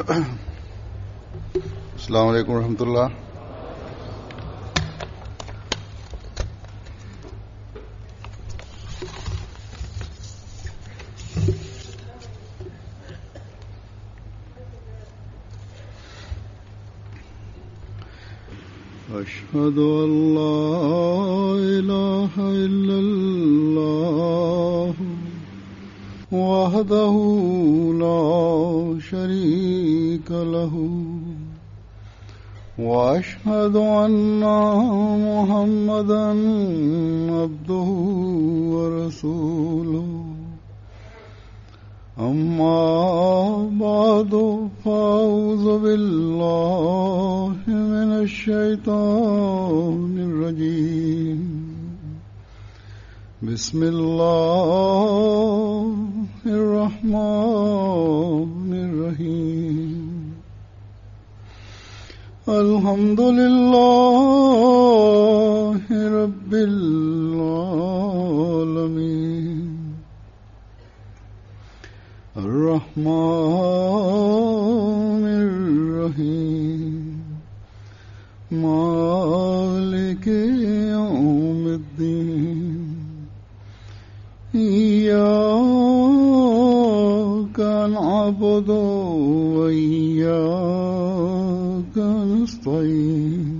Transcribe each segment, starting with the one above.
السلام عليڪم ورحمة الله. اشهد ان لا اله الا الله وحده لا شريك له واشهد ان محمدا عبده ورسوله اما بعد فاعوذ بالله من الشيطان الرجيم بسم الله الرحمن الرحيم الحمد لله رب العالمين الرحمن الرحيم مالك يوم الدين إياك نعبد وإياك نستعين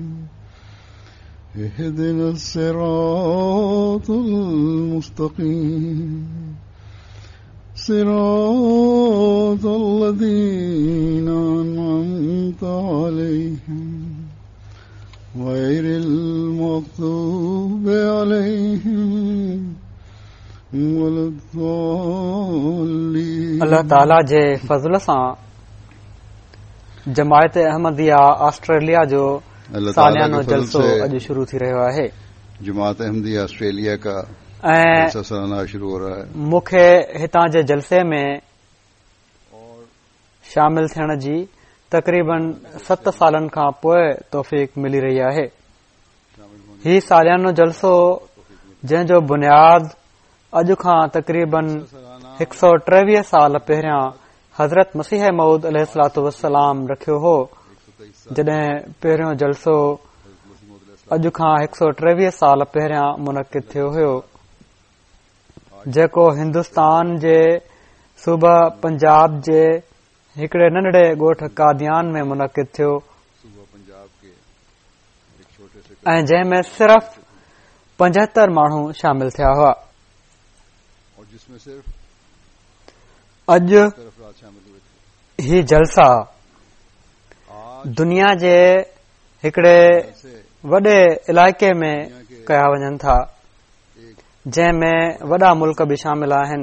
اهدنا الصراط المستقيم صراط الذين أنعمت عليهم غير المغضوب عليهم ولا الضالين الله تعاليٰ جي فضل سان جماعت احمديه آسٽريليا جو ساليانو جلسو اڄ شروع ٿي رهيو آهي. جماعت احمديه آسٽريليا ڪا جلسه سالانه شروع هو رها هي. مون کي هتان جي جلسي ۾ شامل ٿيڻ جي تقريبن ست سالن کان پوء توفيق ملي رهي آهي. هي ساليانو جلسو جنهن جو بنياد اڄ کان تقريبن هڪ سؤ ٽيويهه سال پهريان حضرت مسيح موعود عليه الصلوة والسلام رکيو هو، جڏهن پهريون جلسو اڄ کان هڪ سؤ ٽيويهه سال پهريان منعقد ٿيو هيو، جيڪو هندستان جي صوبه پنجاب جي هڪڙي ننڍڙي ڳوٺ قاديان ۾ منعقد ٿيو ۽ جنهن ۾ صرف 75 ماڻهو شامل ٿيا هئا. اڄ هي جلسا دنيا جي هڪڙي وڏي علائقي ۾ ڪيا وڃن ٿا جنهن ۾ وڏا ملڪ به شامل آهن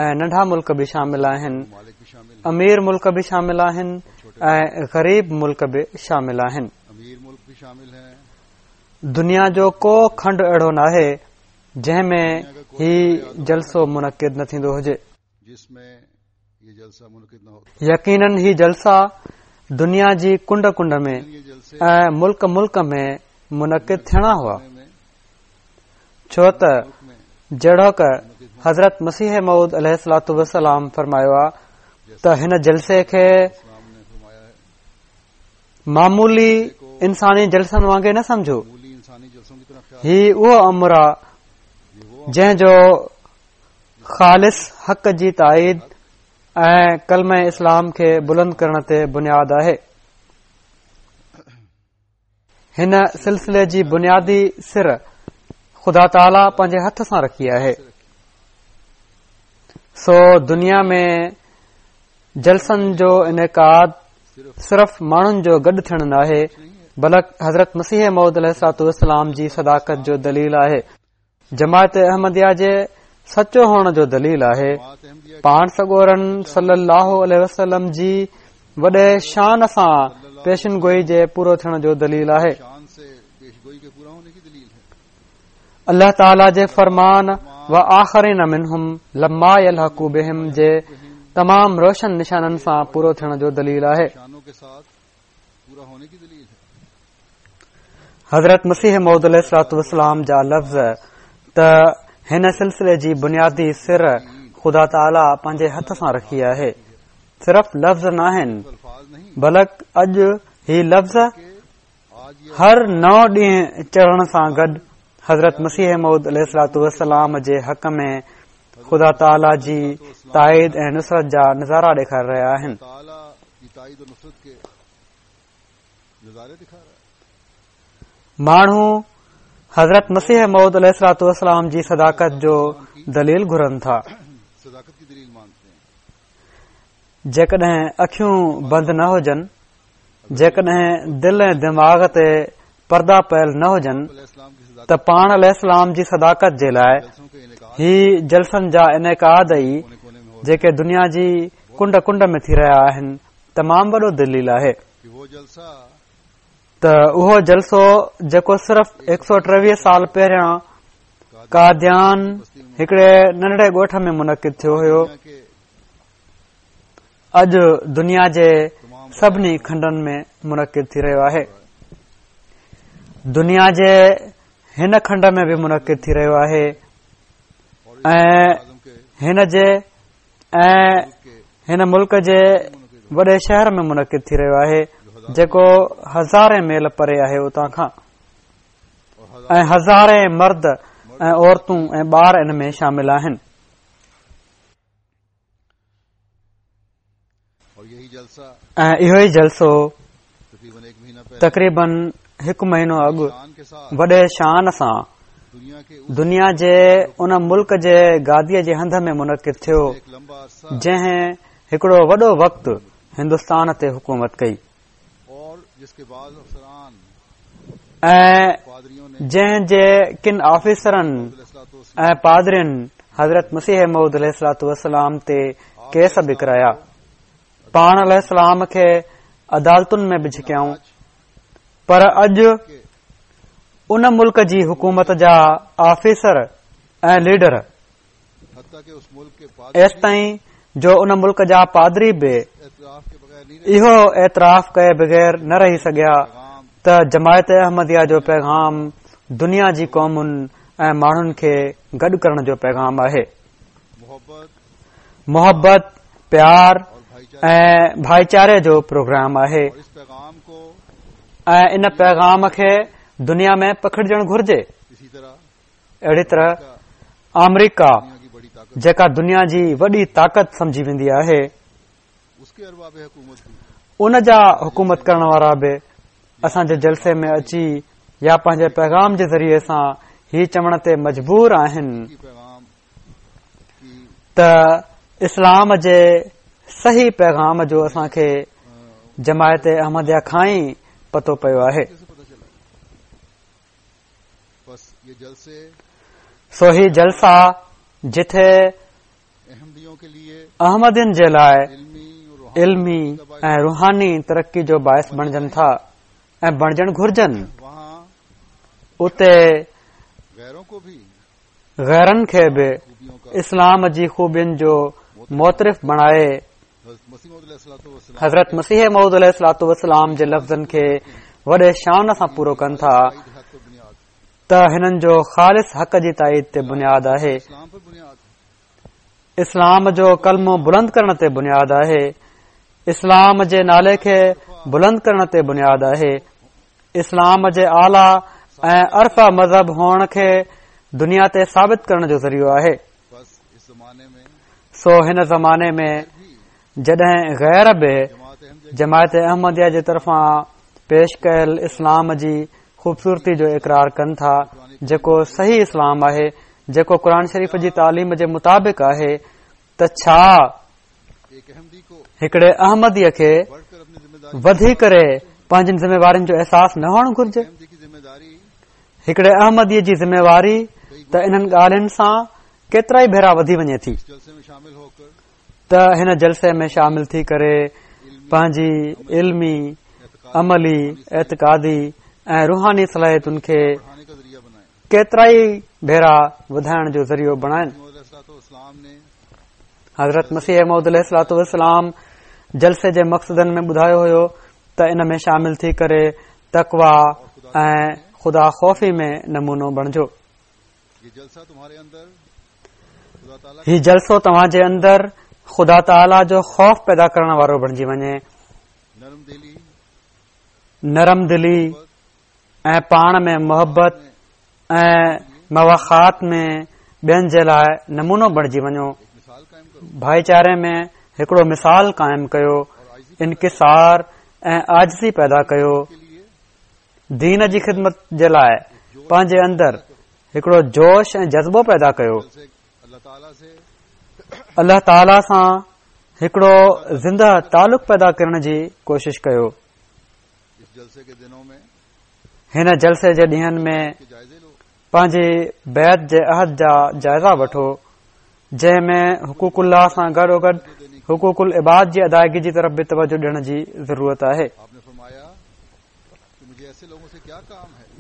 ۽ ننڍا ملڪ به شامل آهن امير ملڪ به شامل آهن ۽ غريب ملڪ به شامل آهن دنيا جو ڪو کنڊ اهڙو ناهي جنهن ۾ هي جلسو منعقد نه ٿيندو هجي. يقينن هي جلسا دنيا جي ڪنڊ ڪنڊ ۾ ۽ ملڪ ملڪ ۾ منعقد ٿيڻا هئا ڇو ته جهڙوڪ حضرت مسيح موعود عليه الصلوة والسلام فرمايو آ ته هن جلسي کي معمولي انساني جلسن وانگي نه سمجهو هي اهو امر آ جنهن جو خالص حق جي تائيد ۽ ڪلمه اسلام کي بلند ڪرڻ تي بنياد آهي هن سلسلي جي بنيادي سر خدا تعاليٰ پنهنجي هٿ سان رکي آهي سو دنيا ۾ جلسن جو انعقاد صرف ماڻهن جو گڏ ٿيڻ ناهي بلڪ حضرت مسيح موعود عليه الصلوة والسلام جي صداقت جو دليل آهي جماعت احمديه جي سچو هئڻ جو دليل آهي پاڻ سڳورن صلي الله عليه وسلم جي وڏي شان سان پيشن گوئي جي پورو ٿيڻ جو دليل آهي الله تعاليٰ جي فرمان و آخرين منهم لما يلحقوا بهم جي تمام روشن نشانن سان پورو ٿيڻ جو دليل آهي حضرت مسيح موعود عليه الصلوة والسلام جا لفظ ته هن سلسلي جي بنيادي سر خدا تعاليٰ پنهنجي هٿ سان رکي آهي صرف لفظ ناهن. بلڪ اڄ هي لفظ هر نئون ڏينهن چڙهڻ سان گڏ حضرت مسيح موعود عليه الصلوة والسلام جي حق ۾ خدا تعاليٰ جي تائيد ۽ نصرت جا نظارا ڏيکاري رهيا آهن. ماڻهو حضرت مسيح موعود عليه الصلوة والسلام جي صداقت جو دليل گهرن ٿا. جيڪڏهن اکيون بند نه هجن، جيڪڏهن دل ۽ دماغ تي پردا پيل نه هجن ته پاڻ عليه السلام جي صداقت جي لاء هي جلسن جا انعقاد ئي جيڪي دنيا جي ڪنڊ ڪنڊ ۾ ٿي رهيا آهن تمام وڏو دليل آهي ته اهو جلسو جيڪو صرف هڪ سو ٽيويهه سال پهريان قاديان هڪڙي ننڍڙي ڳوٺ ۾ منعقد ٿيو هيو اڄ دنيا جي سڀني کنڊن ۾ منعقد ٿي رهيو آهي دنيا جي هن کنڊ ۾ به منعقد ٿي رهيو آهي ۽ هن جي ۽ هن ملڪ جي وڏي شهر ۾ منعقد ٿي رهيو آهي جيڪو هزارين ميل پري آهي اتان کان ۽ هزارين مرد ۽ عورتون ۽ ٻار ان ۾ شامل آهن ۽ اهو ئي جلسو تقريبن هڪ مهينو اڳ وڏي شان سان دنيا جي ان ملڪ جي گاديء جي هنڌ ۾ منعقد ٿيو جنهن هڪڙو وڏو وقت هندستان تي حڪومت ڪئي ۽ جنهن جي ڪن آفيسرن ۽ پادرين حضرت مسيح موعود عليه الصلوة والسلام تي ڪيس به ڪرايا پاڻ عليه السلام کي عدالتن ۾ به ڇڪيائون پر اڄ ان ملڪ جي حڪومت جا آفيسر ۽ ليڊر ايستائين جو ان ملڪ جا پادري به اهو اعتراف ڪئي بغير نه رهي سگهيا ته جماعت احمديه جو پيغام دنيا جي قومن ۽ ماڻهن کي گڏ ڪرڻ جو پيغام آهي. محبت، پيار ۽ ڀائيچاري جو پروگرام آهي ۽ ان پيغام کي دنيا ۾ پکڙجڻ گهرجي. اهڙي طرح آمريڪا جيڪا دنيا جي وڏي طاقت سمجهي ويندي آهي ان جا حڪومت ڪرڻ وارا به اسان جي جلسي ۾ اچي يا پنهنجي پيغام جي ذريعي سان هي چوڻ تي مجبور آهن ته اسلام جي صحيح پيغام جو اسان کي جماعت احمديه کان ئي پتو پيو آهي. سو هي جلسا جٿي احمدين جي لاء علمي ۽ روحاني ترقي جو باعث بڻجن ٿا ۽ بڻجڻ گهرجن اتي غيرن کي به اسلام جي خوبين جو معترف بڻائي حضرت مسيح موعود عليه الصلوة والسلام جي لفظن کي وڏي شان سان پورو ڪن ٿا ته هنن جو خالص حق جي تائيد تي بنياد آهي اسلام جو ڪلمو بلند ڪرڻ تي بنياد آهي اسلام جي نالي کي بلند ڪرڻ تي بنياد آهي اسلام جي اعليٰ ۽ ارفع مذهب هئڻ کي دنيا تي ثابت ڪرڻ جو ذريعو آهي سو هن زماني ۾ جڏهن غير به جماعت احمديه جي طرفان پيش ڪيل اسلام جي خوبصورتي جو اقرار ڪن ٿا جيڪو صحيح اسلام آهي جيڪو قرآن شريف جي تعليم جي مطابق آهي ته ڇا هڪڙي احمديء کي وڌي ڪري پنهنجين ذميوارين جو احساس نه هئڻ گهرجي هڪڙي احمديء جي ذميواري ته انهن ڳالهين سان ڪيترائي ڀيرا وڌي وڃي ٿي ته هن جلسي ۾ شامل ٿي ڪري پنهنجي علمي عملي اعتقادي ۽ روحاني صلاحيتن کي ڪيترائي ڀيرا وڌائڻ جو ذريعو بڻائن. حضرت مسيح موعود عليه الصلوة والسلام جلسي جي مقصدن ۾ ٻڌايو هيو ته ان ۾ شامل ٿي ڪري تقويٰ ۽ خدا خوفي ۾ نمونو بڻجو. هي جلسو توهان جي اندر خدا تعاليٰ جو خوف پيدا ڪرڻ وارو بڻجي وڃي. نرم دلي ۽ پاڻ ۾ محبت ۽ مواخات ۾ ٻين جي لاء نمونو بڻجي وڃو. ڀائيچاري ۾ هڪڙو مثال قائم ڪيو، انڪسار ۽ عاجزي پيدا ڪيو. دين جي خدمت جي لاء پنهنجي اندر هڪڙو جوش ۽ جذبو پيدا ڪيو. الله تعاليٰ سان هڪڙو زنده تعلق پيدا ڪرڻ جي ڪوشش ڪيو. هن جلسي جي ڏينهن ۾ پنهنجي بيعت جي عهد جا جائزا وٺو جنهن ۾ حقوق الله سان گڏوگڏ حقوق العباد جي ادائگي جي طرف به توجه ڏيڻ جي ضرورت آهي.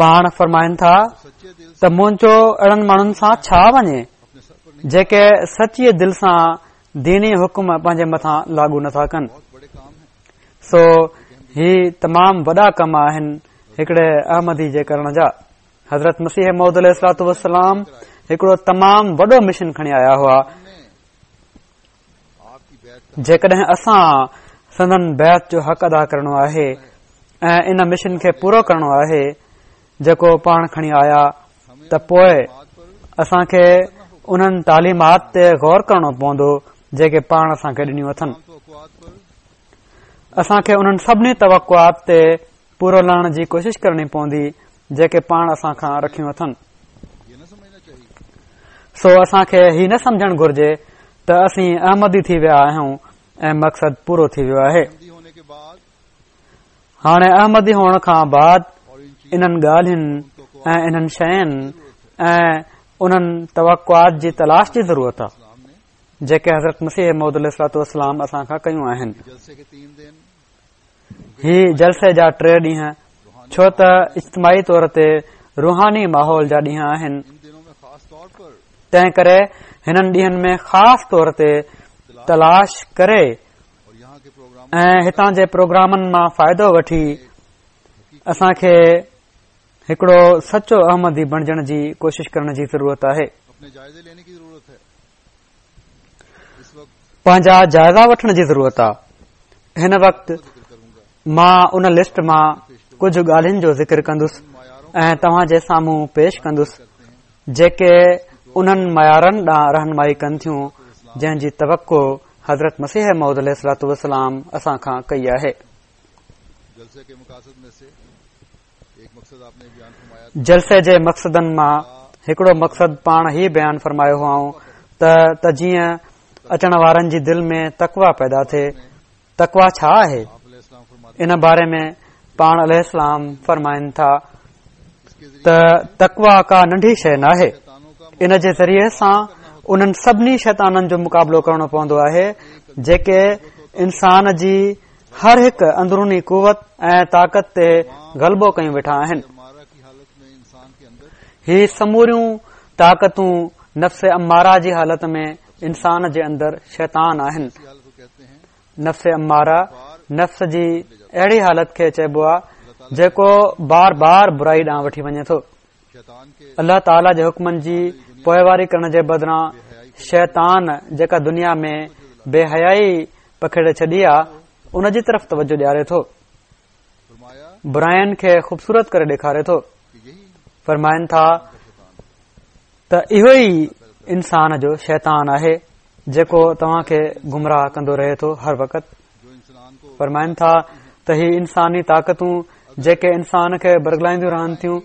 پاڻ فرمائن ٿا ته منهنجو اهڙن ماڻهن سان ڇا وڃي جيڪي سچيء دل سان ديني حڪم پنهنجي مٿان لاڳو نٿا ڪن. سو هي تمام وڏا ڪم آهن هڪڙي احمدي جي ڪرڻ جا. حضرت مسيح موعود عليه الصلوٰة والسلام هڪڙو تمام وڏو مشن کڻي آيا هئا. جيڪڏهن اسان سندن بيعت جو حق ادا ڪرڻو آهي ۽ ان مشن کي پورو ڪرڻو آهي جيڪو پاڻ کڻي آيا ته پوء اسان کي انهن تعليمات تي غور ڪرڻو پوندو جيڪي پاڻ اسان کي ڏنيون اٿن. اسان کي انهن سڀني توقعات تي پورو لهڻ جي ڪوشش ڪرڻي پوندي جيڪي پاڻ اسان کان رکيون اٿن. سو اسان کي هي نه سمجهڻ گهرجي ته اسين احمدي ٿي ويا آهيون ۽ مقصد پورو ٿي ويو آهي. هاڻي احمدي هئڻ کان بعد انهن ڳالهين ۽ انهن شين ۽ انهن توقعات جي تلاش جي ضرورت آهي جيڪي حضرت مسيح موعود عليه الصلوٰة والسلام اسان کان ڪيون آهن. هي جلسي جا ٽي ڏينهن ڇو ته اجتماعي طور تي روحاني ماحول جا ڏينهن آهن، تنهن ڪري هنن ڏينهن ۾ خاص طور تي تلاش ڪري ۽ هتان جي پروگرامن مان فائدو وٺي اسان کي هڪڙو سچو احمدي بڻجڻ جي ڪوشش ڪرڻ جي ضرورت آهي. پنهنجا جائزا وٺڻ جي ضرورت آ. هن وقت مان ان لسٽ مان ڪجهه ڳالهين جو ذڪر ڪندس ۽ توهان جي سامهون پيش ڪندس جيڪي انهن معيارن ڏانهن رهنمائي ڪن ٿيون جنهن جي توقع حضرت مسيح موعود عليه الصلوٰة والسلام اسان کان ڪئي آهي. جلسي جي مقصدن مان هڪڙو مقصد پاڻ هي بيان فرمايو هئائون ته ته جيئن اچڻ وارن جي دل ۾ تقويٰ پيدا ٿئي. تقويٰ ڇا آهي؟ ان باري ۾ پاڻ عليه السلام فرمائن ٿا ته تقويٰ ڪا ننڍي شيء ناهي. ان جي ذريعي سان انهن سڀني شيطانن جو مقابلو ڪرڻو پوندو آهي جيڪي انسان جي هر هڪ اندروني قوت ۽ طاقت تي غلبو ڪيون ويٺا آهن. هي سموريون طاقتون نفس اماره جي حالت ۾ انسان جي اندر شيطان آهن. نفس اماره نفس جي اهڙي حالت کي چئبو آهي جيڪو بار بار برائي ڏانهن وٺي وڃي ٿو. الله تعاليٰ جي حڪمن جي پوئواري ڪرڻ جي بدران شيطان جيڪا دنيا ۾ بي حيائي پکيڙي ڇڏي آ ان جي طرف توجه ڏياري ٿو، براين کي خوبصورت ڪري ڏيکاري ٿو. فرمائن ٿا ته اهو ئي انسان جو شيطان آهي جيڪو توهان کي گمراهه ڪندو رهي ٿو هر وقت. فرمائن ٿا ته هي انساني طاقتون جيڪي انسان کي برغلائينديون رهن ٿيون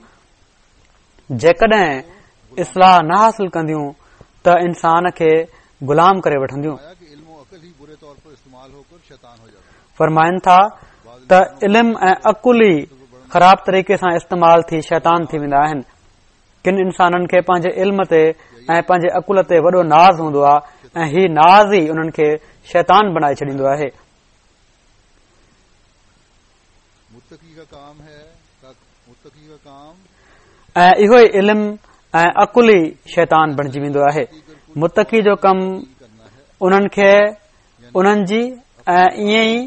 جيڪڏهن اصلاح نه حاصل ڪنديون ته انسان کي غلام ڪري وٺنديون. فرمائن ٿا ته علم ۽ عقل ئي خراب طريقي سان استعمال ٿي شيطان ٿي ويندا آهن. ڪن انسانن کي پنهنجي علم تي ۽ پنهنجي عقل تي وڏو ناز هوندو آهي ۽ هي ناز ئي انهن کي شيطان بڻائي ڇڏيندو آهي. ۽ اهو ئي علم ۽ عقل ئي شيطان بڻجي ويندو آهي. متقي جو ڪم انهن کي انهن جي ۽ ائين ئي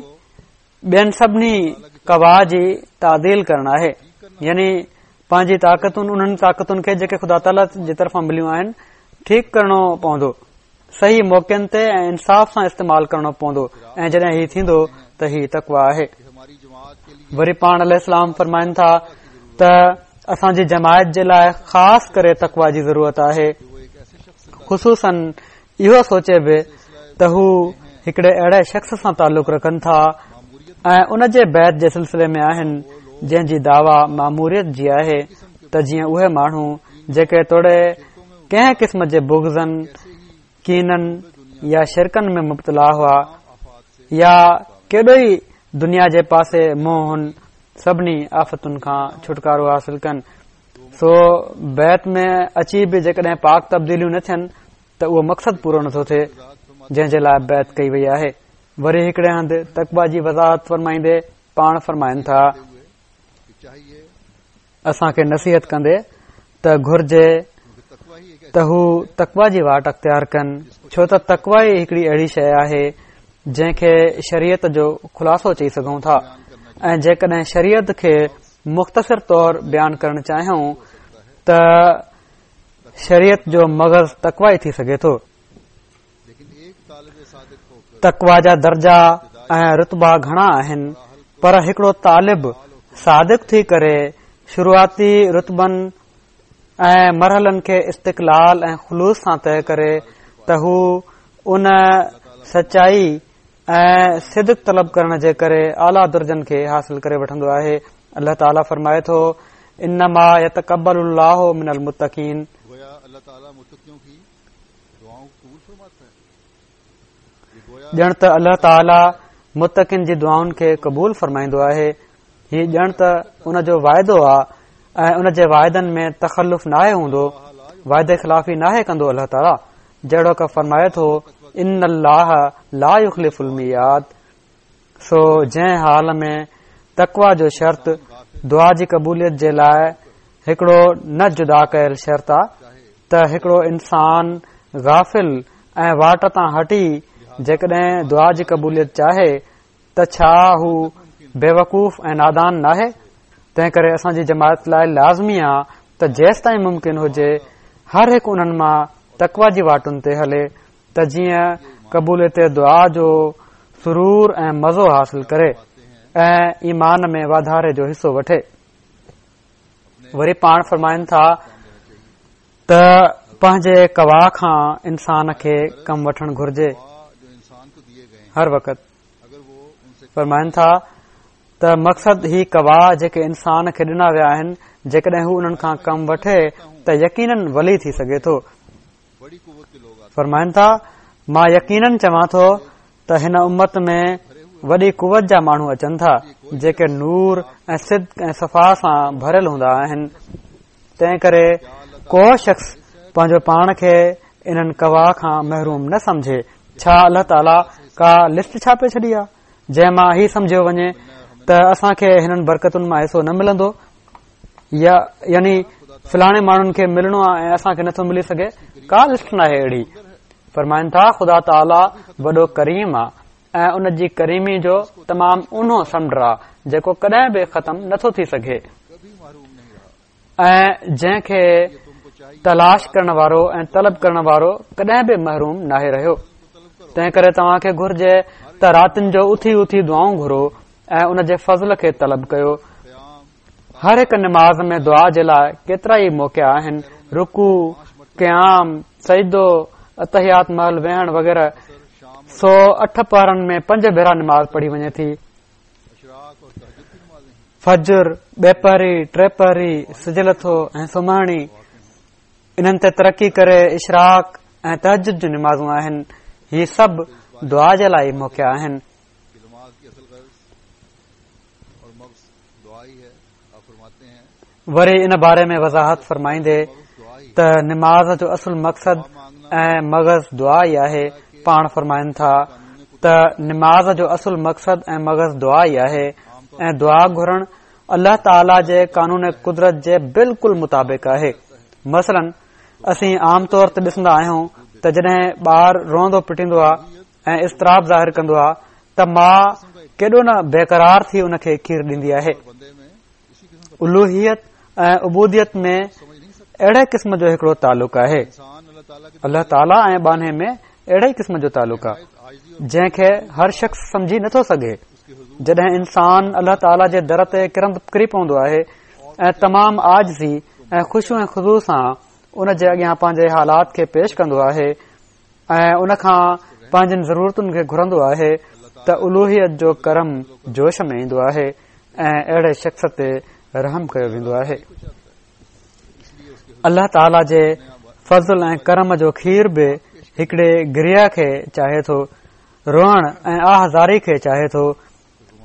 ٻين سڀني قوا جي تعديل ڪرڻ آهي يعني پنهنجي طاقتن انهن طاقتن کي جيڪي خدا تعاليٰ جي طرفان مليون آهن ٺيڪ ڪرڻو پوندو صحيح موقعن تي ۽ انصاف سان استعمال ڪرڻو پوندو ۽ جڏهن هي ٿيندو ته هي تقويٰ آهي. وري پاڻ عليه السلام فرمائن ٿا ته اسان جي جماعت جي لاء خاص ڪري تقويٰ جي ضرورت آهي، خصوصاً اهو سوچي به ته هو هڪڙي اهڙي شخص سان تعلق رکن ٿا ۽ ان جي بيعت جي سلسلي ۾ آهن جنهن جي دعويٰ ماموريت جي آهي ته جيئن اهي ماڻهو جيڪي توڙي ڪنهن قسم جي بغضن، ڪينن يا شرڪن ۾ مبتلا هئا يا ڪيڏو ئي دنيا جي پاسي منهن هن سڀني آفتن کان ڇوٽڪارو حاصل ڪن. سو بيعت ۾ اچي به جيڪڏهن پاڪ تبديليون نه ٿين ته اهو مقصد پورو نٿو ٿئي جنهن جي لاء بيعت ڪئي وئي آهي. وري هڪڙي هنڌ تقويٰ جي وضاحت فرمائيندي پاڻ فرمائن ٿا. اسان کي نصيحت ڪندي ته گهرجي ته هو تقويٰ جي واٽ اختيار ڪن ڇو ته تقويٰ ئي هڪڙي اهڙي شيء آهي جنهن کي شريعت جو خلاصو چئي سگهون ٿا ۽ جيڪڏهن شريعت کي مختصر طور بيان ڪرڻ چاهيون ته شريعت جو مغز تقويٰ ئي ٿي سگهي ٿو. تقويٰ جا درجا ۽ رتبا گهڻا آهن پر هڪڙو طالب صادق ٿي ڪري شروعاتي رتبن ۽ مرحلن کي استقلال ۽ خلوص سان طئي ڪري ته هو ان سچائي ۽ صدق طلب ڪرڻ جي ڪري اعليٰ درجن کي حاصل ڪري وٺندو آهي. الله تعاليٰ فرمائي ٿو، انما يتقبل الله من المتقين. ڄڻ ته الله تعاليٰ متقين جي دعائن کي قبول فرمائيندو آهي. هي ڄڻ ته ان جو واعدو آ ۽ ان جي واعدن ۾ تخلف ناهي هوندو، وعدي خلافي ناهي ڪندو الله تعاليٰ جهڙوڪ فرمائي ٿو ان الله لا يخلف الميعاد سو جنهن حال ۾ تقويٰ جو شرط دعا جي قبوليت جي لاء هڪڙو نه جدا ڪيل شرط آ ته هڪڙو انسان غافل ۽ واٽ تان هٽي جيڪڏهن دعا جي قبوليت چاهي ته ڇا هو بيوقوف ۽ نادان ناهي؟ تنهن ڪري اسان جي جماعت لاء لازمي آ ته جيستائين ممڪن هجي هر هڪ انهن مان تقويٰ جي واٽن تي هلي ته جيئن قبوليت دعا جو سرور ۽ مزو حاصل ڪري ۽ ايمان ۾ واڌاري جو حصو وٺي. وري پاڻ فرمائن ٿا ته پنهنجي قوا کان انسان کي ڪم وٺڻ گهرجي هر وقت فرمائن ٿا ته مقصد هي قوا جيڪي انسان کي ڏنا ويا آهن جيڪڏهن هو انهن کان ڪم وٺي ته يقينن ولي ٿي سگهي ٿو. فرمائن ٿا مان يقينن چوان ٿو ته هن امت ۾ وڏي قوت جا ماڻهو اچن ٿا جيڪي نور ۽ صدق ۽ صفا سان ڀريل هوندا آهن تنهن ڪري ڪو شخص پنهنجو پاڻ کي انهن قوا کان محروم نه سمجهي. ڇا الله تعاليٰ ڪا لسٽ ڇاپي ڇڏي آهي جنهن مان هي سمجهيو وڃي ته اسان کي هنن برڪتن مان حصو نه ملندو يا يعني فلاڻي ماڻهن کي ملڻو آهي ۽ اسان کي نٿو ملي سگهي؟ ڪا لسٽ ناهي اهڙي. فرمائن ٿا خدا تعاليٰ وڏو ڪريم آهي ۽ ان جي ڪريمي جو تمام اونهو سمنڊ آ جيڪو ڪڏهن به ختم نٿو ٿي سگهي ۽ جنهن کي تلاش ڪرڻ وارو ۽ طلب ڪرڻ وارو ڪڏهن به محروم ناهي رهيو. تنهن ڪري توهان کي گهرجي ته راتين جو اٿي اٿي دعائون گهرو ۽ ان جي فضل کي طلب ڪيو. هر هڪ نماز ۾ دعا جي لاء ڪيترا ئي موقعا آهن، رڪوع، قيام، سجدو، التحيات مهل ويهڻ وغيره. سو اٺ پهرن ۾ پنج ڀيرا نماز پڙهي وڃي ٿي. فجر، ٻيپهري، ٽيپهري، سج لٿو ۽ سمهڻي. انهن تي ترقي ڪري اشراق ۽ تهجد جون نمازون آهن. هي سڀ دعا جي لاء ئي موقعا آهن. وري ان باري ۾ وضاحت فرمائيندي ته نماز جو اصل مقصد ۽ مغز دعا ئي آهي پاڻ فرمائن ٿا ته نماز جو اصل مقصد ۽ مغز دعا ئي آهي ۽ دعا گهرڻ الله تعاليٰ جي قانون قدرت جي بلڪل مطابق آهي مثلاً اسين عام طور تي ڏسندا آهيون ته جڏهن ٻار روئندو پٽيندو آهي ۽ اضطراب ظاهر ڪندو آهي ته ماء ڪيڏو نه بيقرار ٿي ان کي کير ڏيندي آهي. الوهيت ۽ عبوديت ۾ اهڙي قسم جو هڪڙو تعلق آهي. الله تعاليٰ ۽ ٻانهي ۾ اهڙي قسم جو تعلق آهي جنهن کي هر شخص سمجهي نٿو سگهي. جڏهن انسان الله تعاليٰ جي در تي ڪرند ڪري پوندو آهي ۽ تمام عاجزي ۽ خشوع ۽ خضوع سان ان جي اڳيان پنهنجي حالات کي پيش ڪندو آهي ۽ ان کان پنهنجين ضرورتن کي گهرندو آهي ته الوهيت جو ڪرم جوش ۾ ايندو آهي ۽ اهڙي شخص تي رحم ڪيو ويندو آهي. الله تعاليٰ جي فضل ۽ ڪرم جو کير به هڪڙي گريه کي چاهي ٿو، روئڻ ۽ آه زاري کي چاهي ٿو،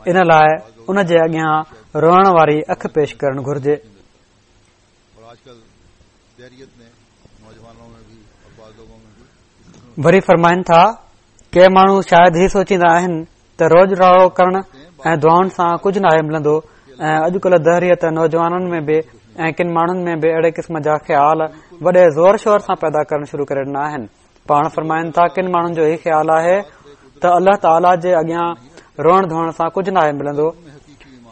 ان لاء ان جي اڳيان روئڻ واري اک پيش ڪرڻ گهرجي. وري فرمائن ٿا، ڪي ماڻهو شايد هي سوچيندا آهن ته روڄ راڙو ڪرڻ ۽ دعائن سان ڪجهه ناهي ملندو ۽ اڄڪلهه دهريت نوجوانن ۾ به ۽ ڪن ماڻهن ۾ به اهڙي قسم جا خيال وڏي زور شور سان پيدا ڪرڻ شروع ڪري ڏنا آهن. پاڻ فرمائن ٿا، ڪن ماڻهن جو هي خيال آهي ته الله تعاليٰ جي اڳيان روئڻ ڌوئڻ سان ڪجهه ناهي ملندو.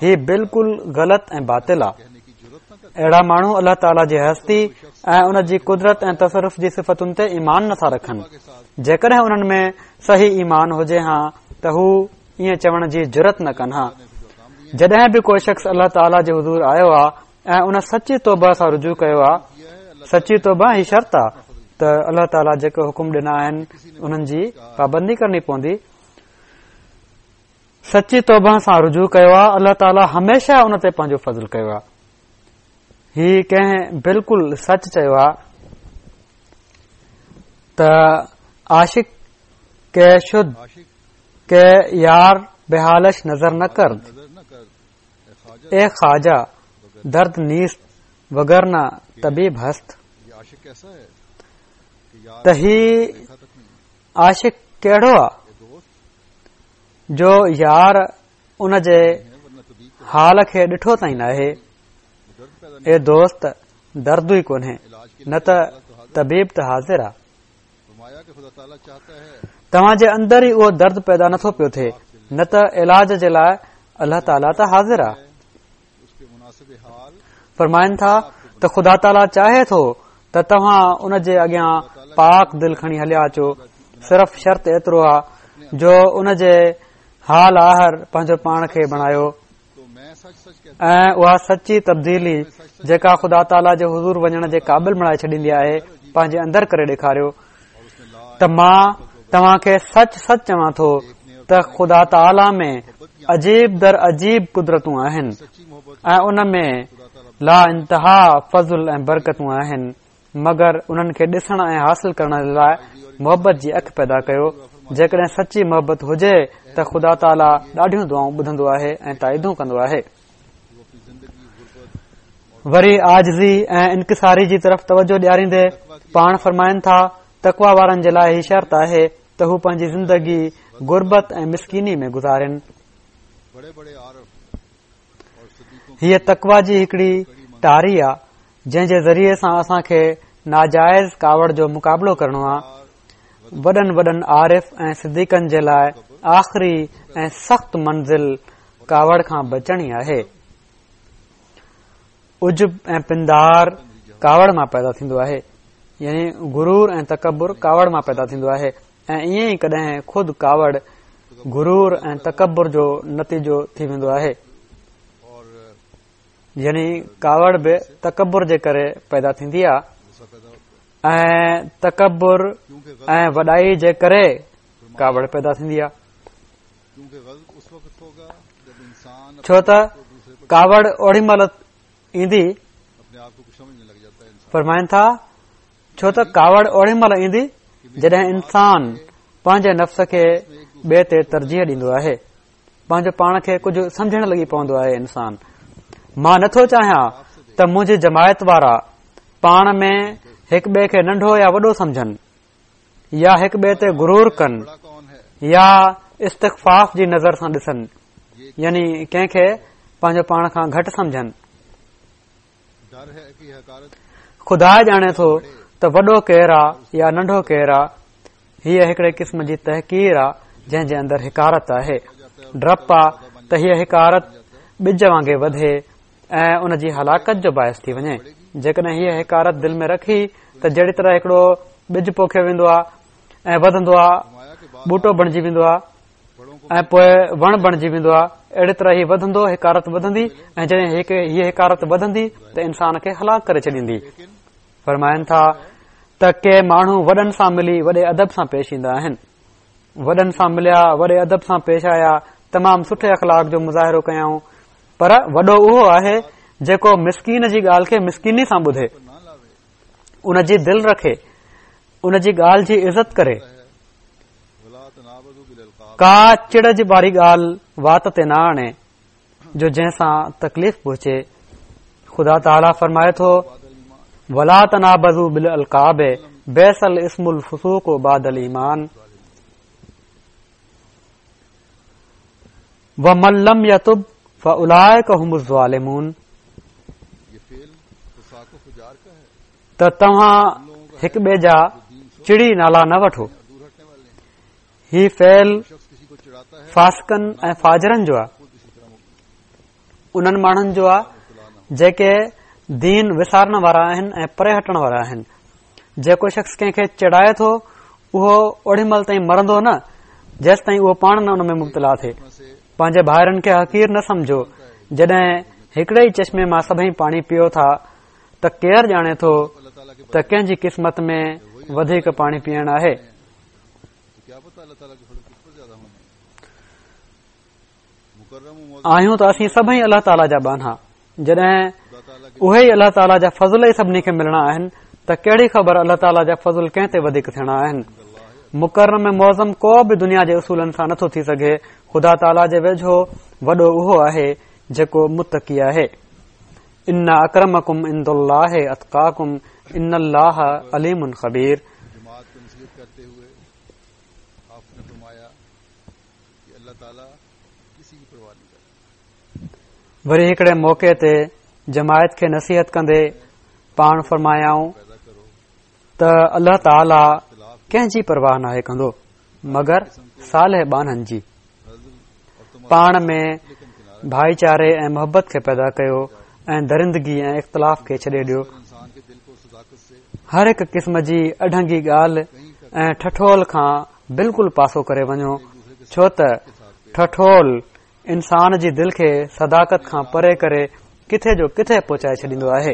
هي بلڪل غلط ۽ باطل آ. اهڙا ماڻهو الله تعاليٰ جي هستي ۽ ان جي قدرت ۽ تصرف جي صفتن تي ايمان نٿا رکن. جيڪڏهن انهن ۾ صحيح ايمان هجي ها ته هو ائين چوڻ جي جرئت نه ڪن ها. جڏهن به ڪو شخص الله تعاليٰ جي حضور آيو آ ۽ ان سچي توبه سان رجوع ڪيو آ، سچي توبه هي شرط آ ته الله تعاليٰ جيڪي حڪم ڏنا آهن انهن جي پابندي ڪرڻي پوندي. سچي توبه سان رجوع ڪيو آ، الله تعاليٰ هميشه ان تي پنهنجو فضل ڪيو آ. هي ڪنهن بلڪل سچ چيو آ ته عاشق کی شد که یار به حالش نظر نکرد اي خواجه درد نيست وگرنه طبيب هست ته هي عاشق ڪهڙو آ جو يار ان جي حال کي ڏٺو تائين ناهي. اي دوست درد ئي ڪونهي نه ته طبيب ته حاضر آ. توهان جي اندر ئي اهو درد پيدا نٿو پيو ٿئي نه ته علاج جي لاء الله تعاليٰ ته حاضر آ. فرمائن ٿا ته خدا تعاليٰ چاهي ٿو ته توهان ان جي اڳيان پاڪ دل کڻي هليا اچو صرف شرط ايترو آ جو ان جي حال آهر پنهنجو پاڻ کي بڻايو ۽ اها سچي تبديلي جيڪا خدا تعاليٰ جي حضور وڃڻ جي قابل بڻائي ڇڏيندي آهي پنهنجي اندر ڪري ڏيکاريو ته مان توهان کي سچ سچ چوان ٿو ته خدا تعاليٰ ۾ عجيب در عجيب قدرتون آهن ۽ ان ۾ لا انتها فضل ۽ برڪتون آهن مگر انهن کي ڏسڻ ۽ حاصل ڪرڻ لاء محبت جي اک پيدا ڪيو جيڪڏهن سچي محبت هجي ته خدا تعاليٰ ڏاڍيون دعائون ٻڌندو آهي ۽ تائيدون ڪندو آهي وري عاجزي ۽ انڪساري جي طرف توجه ڏياريندي پاڻ فرمائن ٿا تقويٰ وارن جي لاء هي شرط آهي ته هو پنهنجي زندگي غربت ۽ مسڪيني ۾ گذارين. هيء تقويٰ جي هڪڙي ٽاري آ جنهن جي ذريعي سان اسان کي ناجائز ڪاوڙ جو مقابلو ڪرڻو آ. وڏن وڏن عارف ۽ صديقن جي لاء آخري ۽ سخت منزل ڪاوڙ کان بچڻ ئي آهي. عجب ۽ پندار ڪاوڙ مان پيدا ٿيندو آهي يعني غرور ۽ تڪبر ڪاوڙ مان پيدا ٿيندو آهي ۽ ائين ئي ڪڏهن خود ڪاوڙ غرور ۽ تڪبر جو نتيجو ٿي ويندو آهي يعني ڪاوڙ به تڪبر جي ڪري پيدا ٿيندي آهي ۽ تڪبر ۽ وڏائي جي ڪري ڪاوڙ پيدا ٿيندي آهي ڇو ته ڪاوڙ اوڏي مهل ايندي فرمائن ٿا ڇو ته ڪاوڙ اوڏي مهل ايندي جڏهن انسان پنهنجي نفس کي ٻئي تي ترجيح ڏيندو آهي پنهنجو پاڻ کي ڪجهه سمجهڻ لڳي پوندو آهي انسان مان نٿو چاهيان ته منهنجي جماعت وارا پاڻ ۾ هڪ ٻئي کي ننڍو يا وڏو سمجهن يا هڪ ٻئي تي غرور ڪن يا استخفاف جي نظر سان ڏسن يعني ڪنهن کي پنهنجو پاڻ کان گهٽ سمجهن خدا ڄاڻي ٿو ته وڏو ڪير آ يا ننڍو ڪير آ هيء هڪڙي قسم جي تحقير آ جنهن جي اندر حقارت آهي ڊپ آ ته هيء حقارت ٻج وانگي وڌي ۽ ان جي هلاڪت جو باعث ٿي وڃي. جيڪڏهن هيء حقارت دل ۾ رکي ته جهڙي طرح هڪڙو ٻج پوکيو ويندو آهي ۽ وڌندو آهي، ٻوٽو بڻجي ويندو آهي ۽ پوء وڻ بڻجي ويندو آهي. اهڙي طرح هي وڌندو، حقارت وڌندي ۽ جڏهن هيء حقارت وڌندي ته انسان کي هلاڪ ڪري ڇڏيندي. فرمائن ٿا ته ڪي ماڻهو وڏن سان ملي وڏي ادب سان پيش ايندا آهن. وڏن سان مليا، وڏي ادب سان پيش آيا، تمام سٺي اخلاق جو مظاهرو ڪيائون، پر وڏو اهو آهي جيڪو مسڪين جي ڳالهه کي مسڪيني سان ٻڌي، ان جي دل رکي، ان جي ڳالهه جي عزت ڪري، ڪا چڙ جي واري ڳالهه وات تي نه آڻي جو جنهن سان تڪليف پهچي. خدا تعاليٰ فرمائي ٿو ولا تنابزوا بالالقاب بئس الاسم الفسوق بعد الايمان ومن لم يتب فاولئڪ هم الظالمون ته توهان هڪ ٻئي جا چڙي نالا نه وٺو. هي فعل فاسقن ۽ فاجرن جو آهي، انهن ماڻهن جو آهي جيڪي دين وسارڻ وارا آهن ۽ پري هٽڻ وارا آهن. جيڪو شخص ڪنهن کي چڙائي ٿو اهو اوڏي مهل تائين مرندو نه جيستائين اهو پاڻ نه ان ۾ مبتلا ٿئي. پنهنجي ڀائرن کي حقير نه سمجهو، جڏهن هڪڙي ئي چشمي مان سڀئي پاڻي پيئو ٿا ته ڪير ڄاڻي ٿو ته ڪنهن جي قسمت ۾ وڌيڪ پاڻي پيئڻ آهي. آهيون ته اسين سڀئي الله تعاليٰ جا ٻانها، جڏهن اهي ئي الله تعاليٰ جا فضل ئي سڀني کي ملڻا آهن ته ڪهڙي خبر الله تعاليٰ جا فضل ڪنهن تي وڌيڪ ٿيڻا آهن. مڪرم ۽ معظم ڪو به دنيا جي اصولن سان نٿو ٿي سگهي، خدا تعاليٰ جي ويجهو وڏو اهو آهي جيڪو متقي آهي. ان اڪرمڪم عند الله اتقاڪم ان الله عليم خبير. جماعت کو نصيحت ڪرتي هوئي آپ ني فرمايا ڪه الله تعالي ڪسي ڪي پرواهه نهين ڪرتا. وري هڪڙي موقعي تي جماعت کي نصيحت ڪندي پاڻ فرمايائون ته الله تعالي ڪنهن جي پرواهه ناهي ڪندو مگر صالح ٻانهن جي. پاڻ ۾ ڀائيچاري ۽ محبت کي پيدا ڪيو ۽ درندگي ۽ اختلاف کي ڇڏي ڏيو. هر هڪ قسم جي اڍنگي ڳالهه ۽ ٺٺول کان بلڪل پاسو ڪري وڃو، ڇو ته ٺٺول انسان جي دل کي صداقت کان پري ڪري ڪٿي جو ڪٿي پهچائي ڇڏيندو آهي.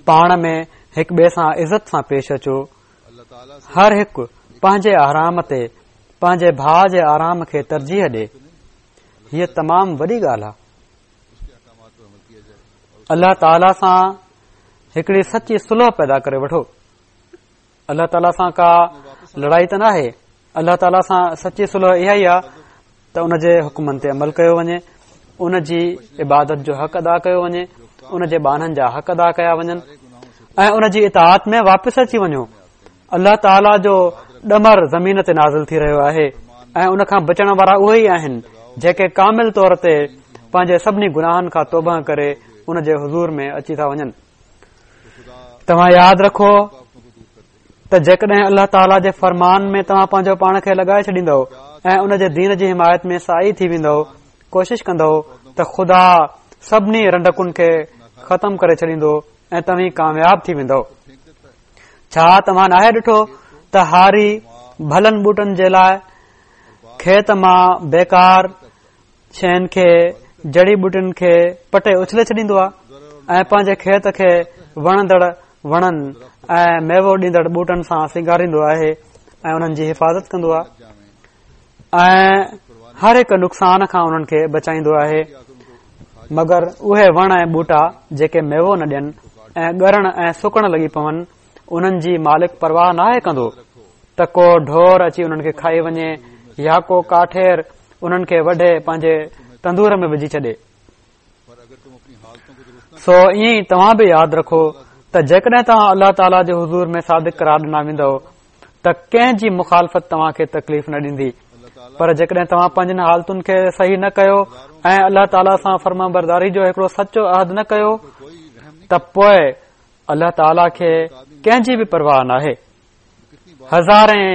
پاڻ ۾ هڪ ٻئي سان عزت سان پيش اچو. هر هڪ پنهنجي آرام تي پنهنجي ڀاء جي آرام کي ترجيح ڏي. هيء تمام وڏي ڳالهه آهي. الله تعاليٰ سان هڪڙي سچي صلح پيدا ڪري وٺو. الله تعاليٰ سان ڪا لڙائي ته ناهي. الله تعاليٰ سان سچي صلح اها ئي آهي ته ان جي حڪمن تي عمل ڪيو وڃي، ان جي عبادت جو حق ادا ڪيو وڃي، ان جي ٻانهن جا حق ادا ڪيا وڃن ۽ ان جي اطاعت ۾ واپس اچي وڃو. الله تعاليٰ جو ڏمر زمين تي نازل ٿي رهيو آهي ۽ ان کان بچڻ وارا اهي ئي آهن جيڪي ڪامل طور تي پنهنجي سڀني گناهن کان توبه ڪري ان جي حضور ۾ اچي ٿا وڃن. توهان ياد رکو ته جيڪڏهن الله تعاليٰ جي فرمان ۾ توهان پنهنجو پاڻ کي لڳائي ڇڏيندؤ ۽ ان جي دين جي حمايت ۾ ساعي ٿي ويندؤ، ڪوشش ڪندؤ ته خدا سڀني رنڊڪن کي ختم ڪري ڇڏيندو ۽ توهين ڪامياب ٿي ويندؤ. ڇا توهان ناهي ڏٺو ته هاري ڀلن ٻوٽن جي لاء کيت مان بيڪار شين کي، جڙي ٻوٽين کي پٽي اڇلي ڇڏيندو آهي ۽ پنهنجي کيت کي وڻندڙ وڻن ۽ ميوو ڏيندڙ ٻوٽن سان سينگاريندو آهي ۽ انهن جي حفاظت ڪندو آهي ۽ هر هڪ نقصان کان انهن کي بچائيندو آهي مگر اهي وڻ ۽ ٻوٽا جيڪي ميوو نه ڏين ۽ ڳرڻ ۽ سڪڻ لڳي پون انهن جي مالڪ پرواهه ناهي ڪندو ته ڪو ڍور اچي انهن کي کائي وڃي يا ڪو ڪاٺير انهن کي وڍي پنهنجي تندور ۾ وجهي ڇڏي. سو ائين ئي توهان به ياد رکو ته جيڪڏهن توهان الله تعاليٰ جي حضور ۾ صادق قرار ڏنا ويندؤ ته ڪنهن جي مخالفت توهان کي تڪليف نه ڏيندي پر جيڪڏهن توهان پنهنجن حالتن کي صحيح نه ڪيو ۽ الله تعاليٰ سان فرمانبرداري جو هڪڙو سچو عهد نه ڪيو ته پوء الله تعاليٰ کي ڪنهن جي به پرواهه ناهي. هزارين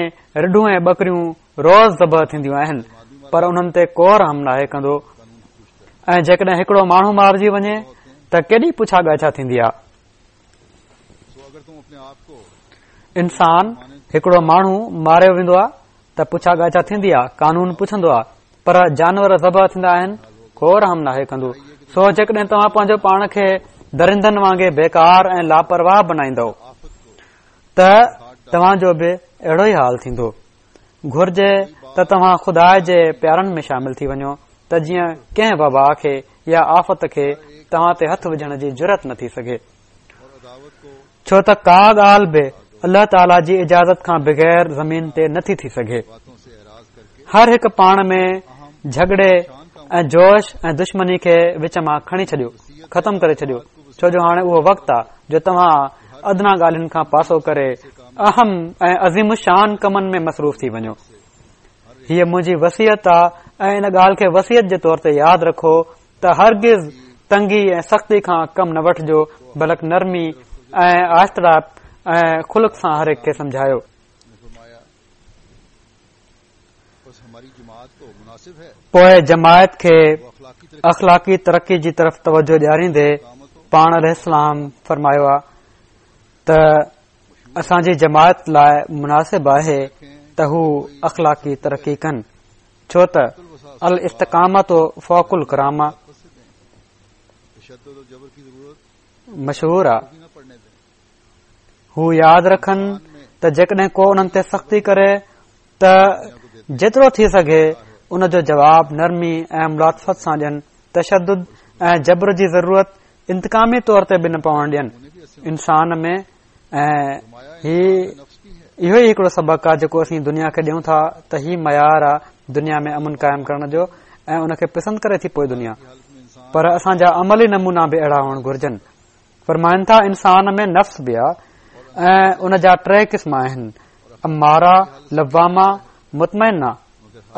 رڍون ۽ ٻڪريون روز ذبح ٿينديون آهن پر انهن تي ڪو رحم ناهي ڪندو ۽ جيڪڏهن هڪڙو ماڻهو مارجي وڃي ته ڪيڏي پڇا ڳاڇا ٿيندي آهي. انسان هڪڙو ماڻهو ماريو ويندو آهي. ته پڇا ڳاڇا ٿيندي آ، قانون پڇندو آ، پر جانور ذبح ٿيندا آهن، ڪو رحم ناهي ڪندو. سو جيڪڏهن توهان پنهنجو پاڻ کي درندن وانگي بيڪار ۽ لاپرواهه بنائيندؤ ته توهان جو به اهڙو ئي حال ٿيندو. گهرجي ته توهان خدا جي پيارن ۾ شامل ٿي وڃو ته جيئن ڪنهن وبا کي يا آفت کي توهان تي هٿ وجهڻ جي جرئت نه ٿي سگهي. ڇو ته ڪا ڳالهه به الله تعاليٰ جي اجازت کان بغير زمين تي نٿي ٿي سگهي. هر هڪ پاڻ ۾ جهڳڙي ۽ جوش ۽ دشمني کي وچ مان کڻي ڇڏيو، ختم ڪري ڇڏيو، ڇو جو هاڻي اهو وقت آ جو توهان ادنيٰ ڳالهين کان پاسو ڪري اهم ۽ عظيم الشان ڪمن ۾ مصروف ٿي وڃو. هيء منهنجي وصيت آ ۽ ان ڳالهه کي وصيت جي طور تي ياد رکو ته هرگز تنگي ۽ سختي کان ڪم نه وٺجو بلڪ نرمي ۽ آهستڙائپ ۽ خلق سان هر هڪ کي سمجهايو. پوء جماعت کي اخلاقي ترقي جي طرف توجه ڏياريندي پاڻ عليه السلام فرمايو آ ته اسان جي جماعت لاء مناسب آهي ته هو اخلاقي ترقي ڪن ڇو ته الاستقامت فوق الڪرامه مشهور آ. هو ياد رکن ته جيڪڏهن ڪو انهن تي سختي ڪري ته جيترو ٿي سگهي ان جو جواب نرمي ۽ ملاطفت سان ڏين تشدد ۽ جبر جي ضرورت انتقامي طور تي به نه پوڻ ڏين انسان ۾ ۽ هي اهو ئي هڪڙو سبق آهي جيڪو اسين دنيا کي ڏيون ٿا ته هي معيار آهي دنيا ۾ امن قائم ڪرڻ جو ۽ ان کي پسند ڪري ٿي پوء دنيا پر اسان جا عملي نمونا به اهڙا هئڻ گهرجن فرمائن ٿا انسان ۾ نفس به آ ۽ ان جا ٽي قسم آهن اماره لوامه مطمئنه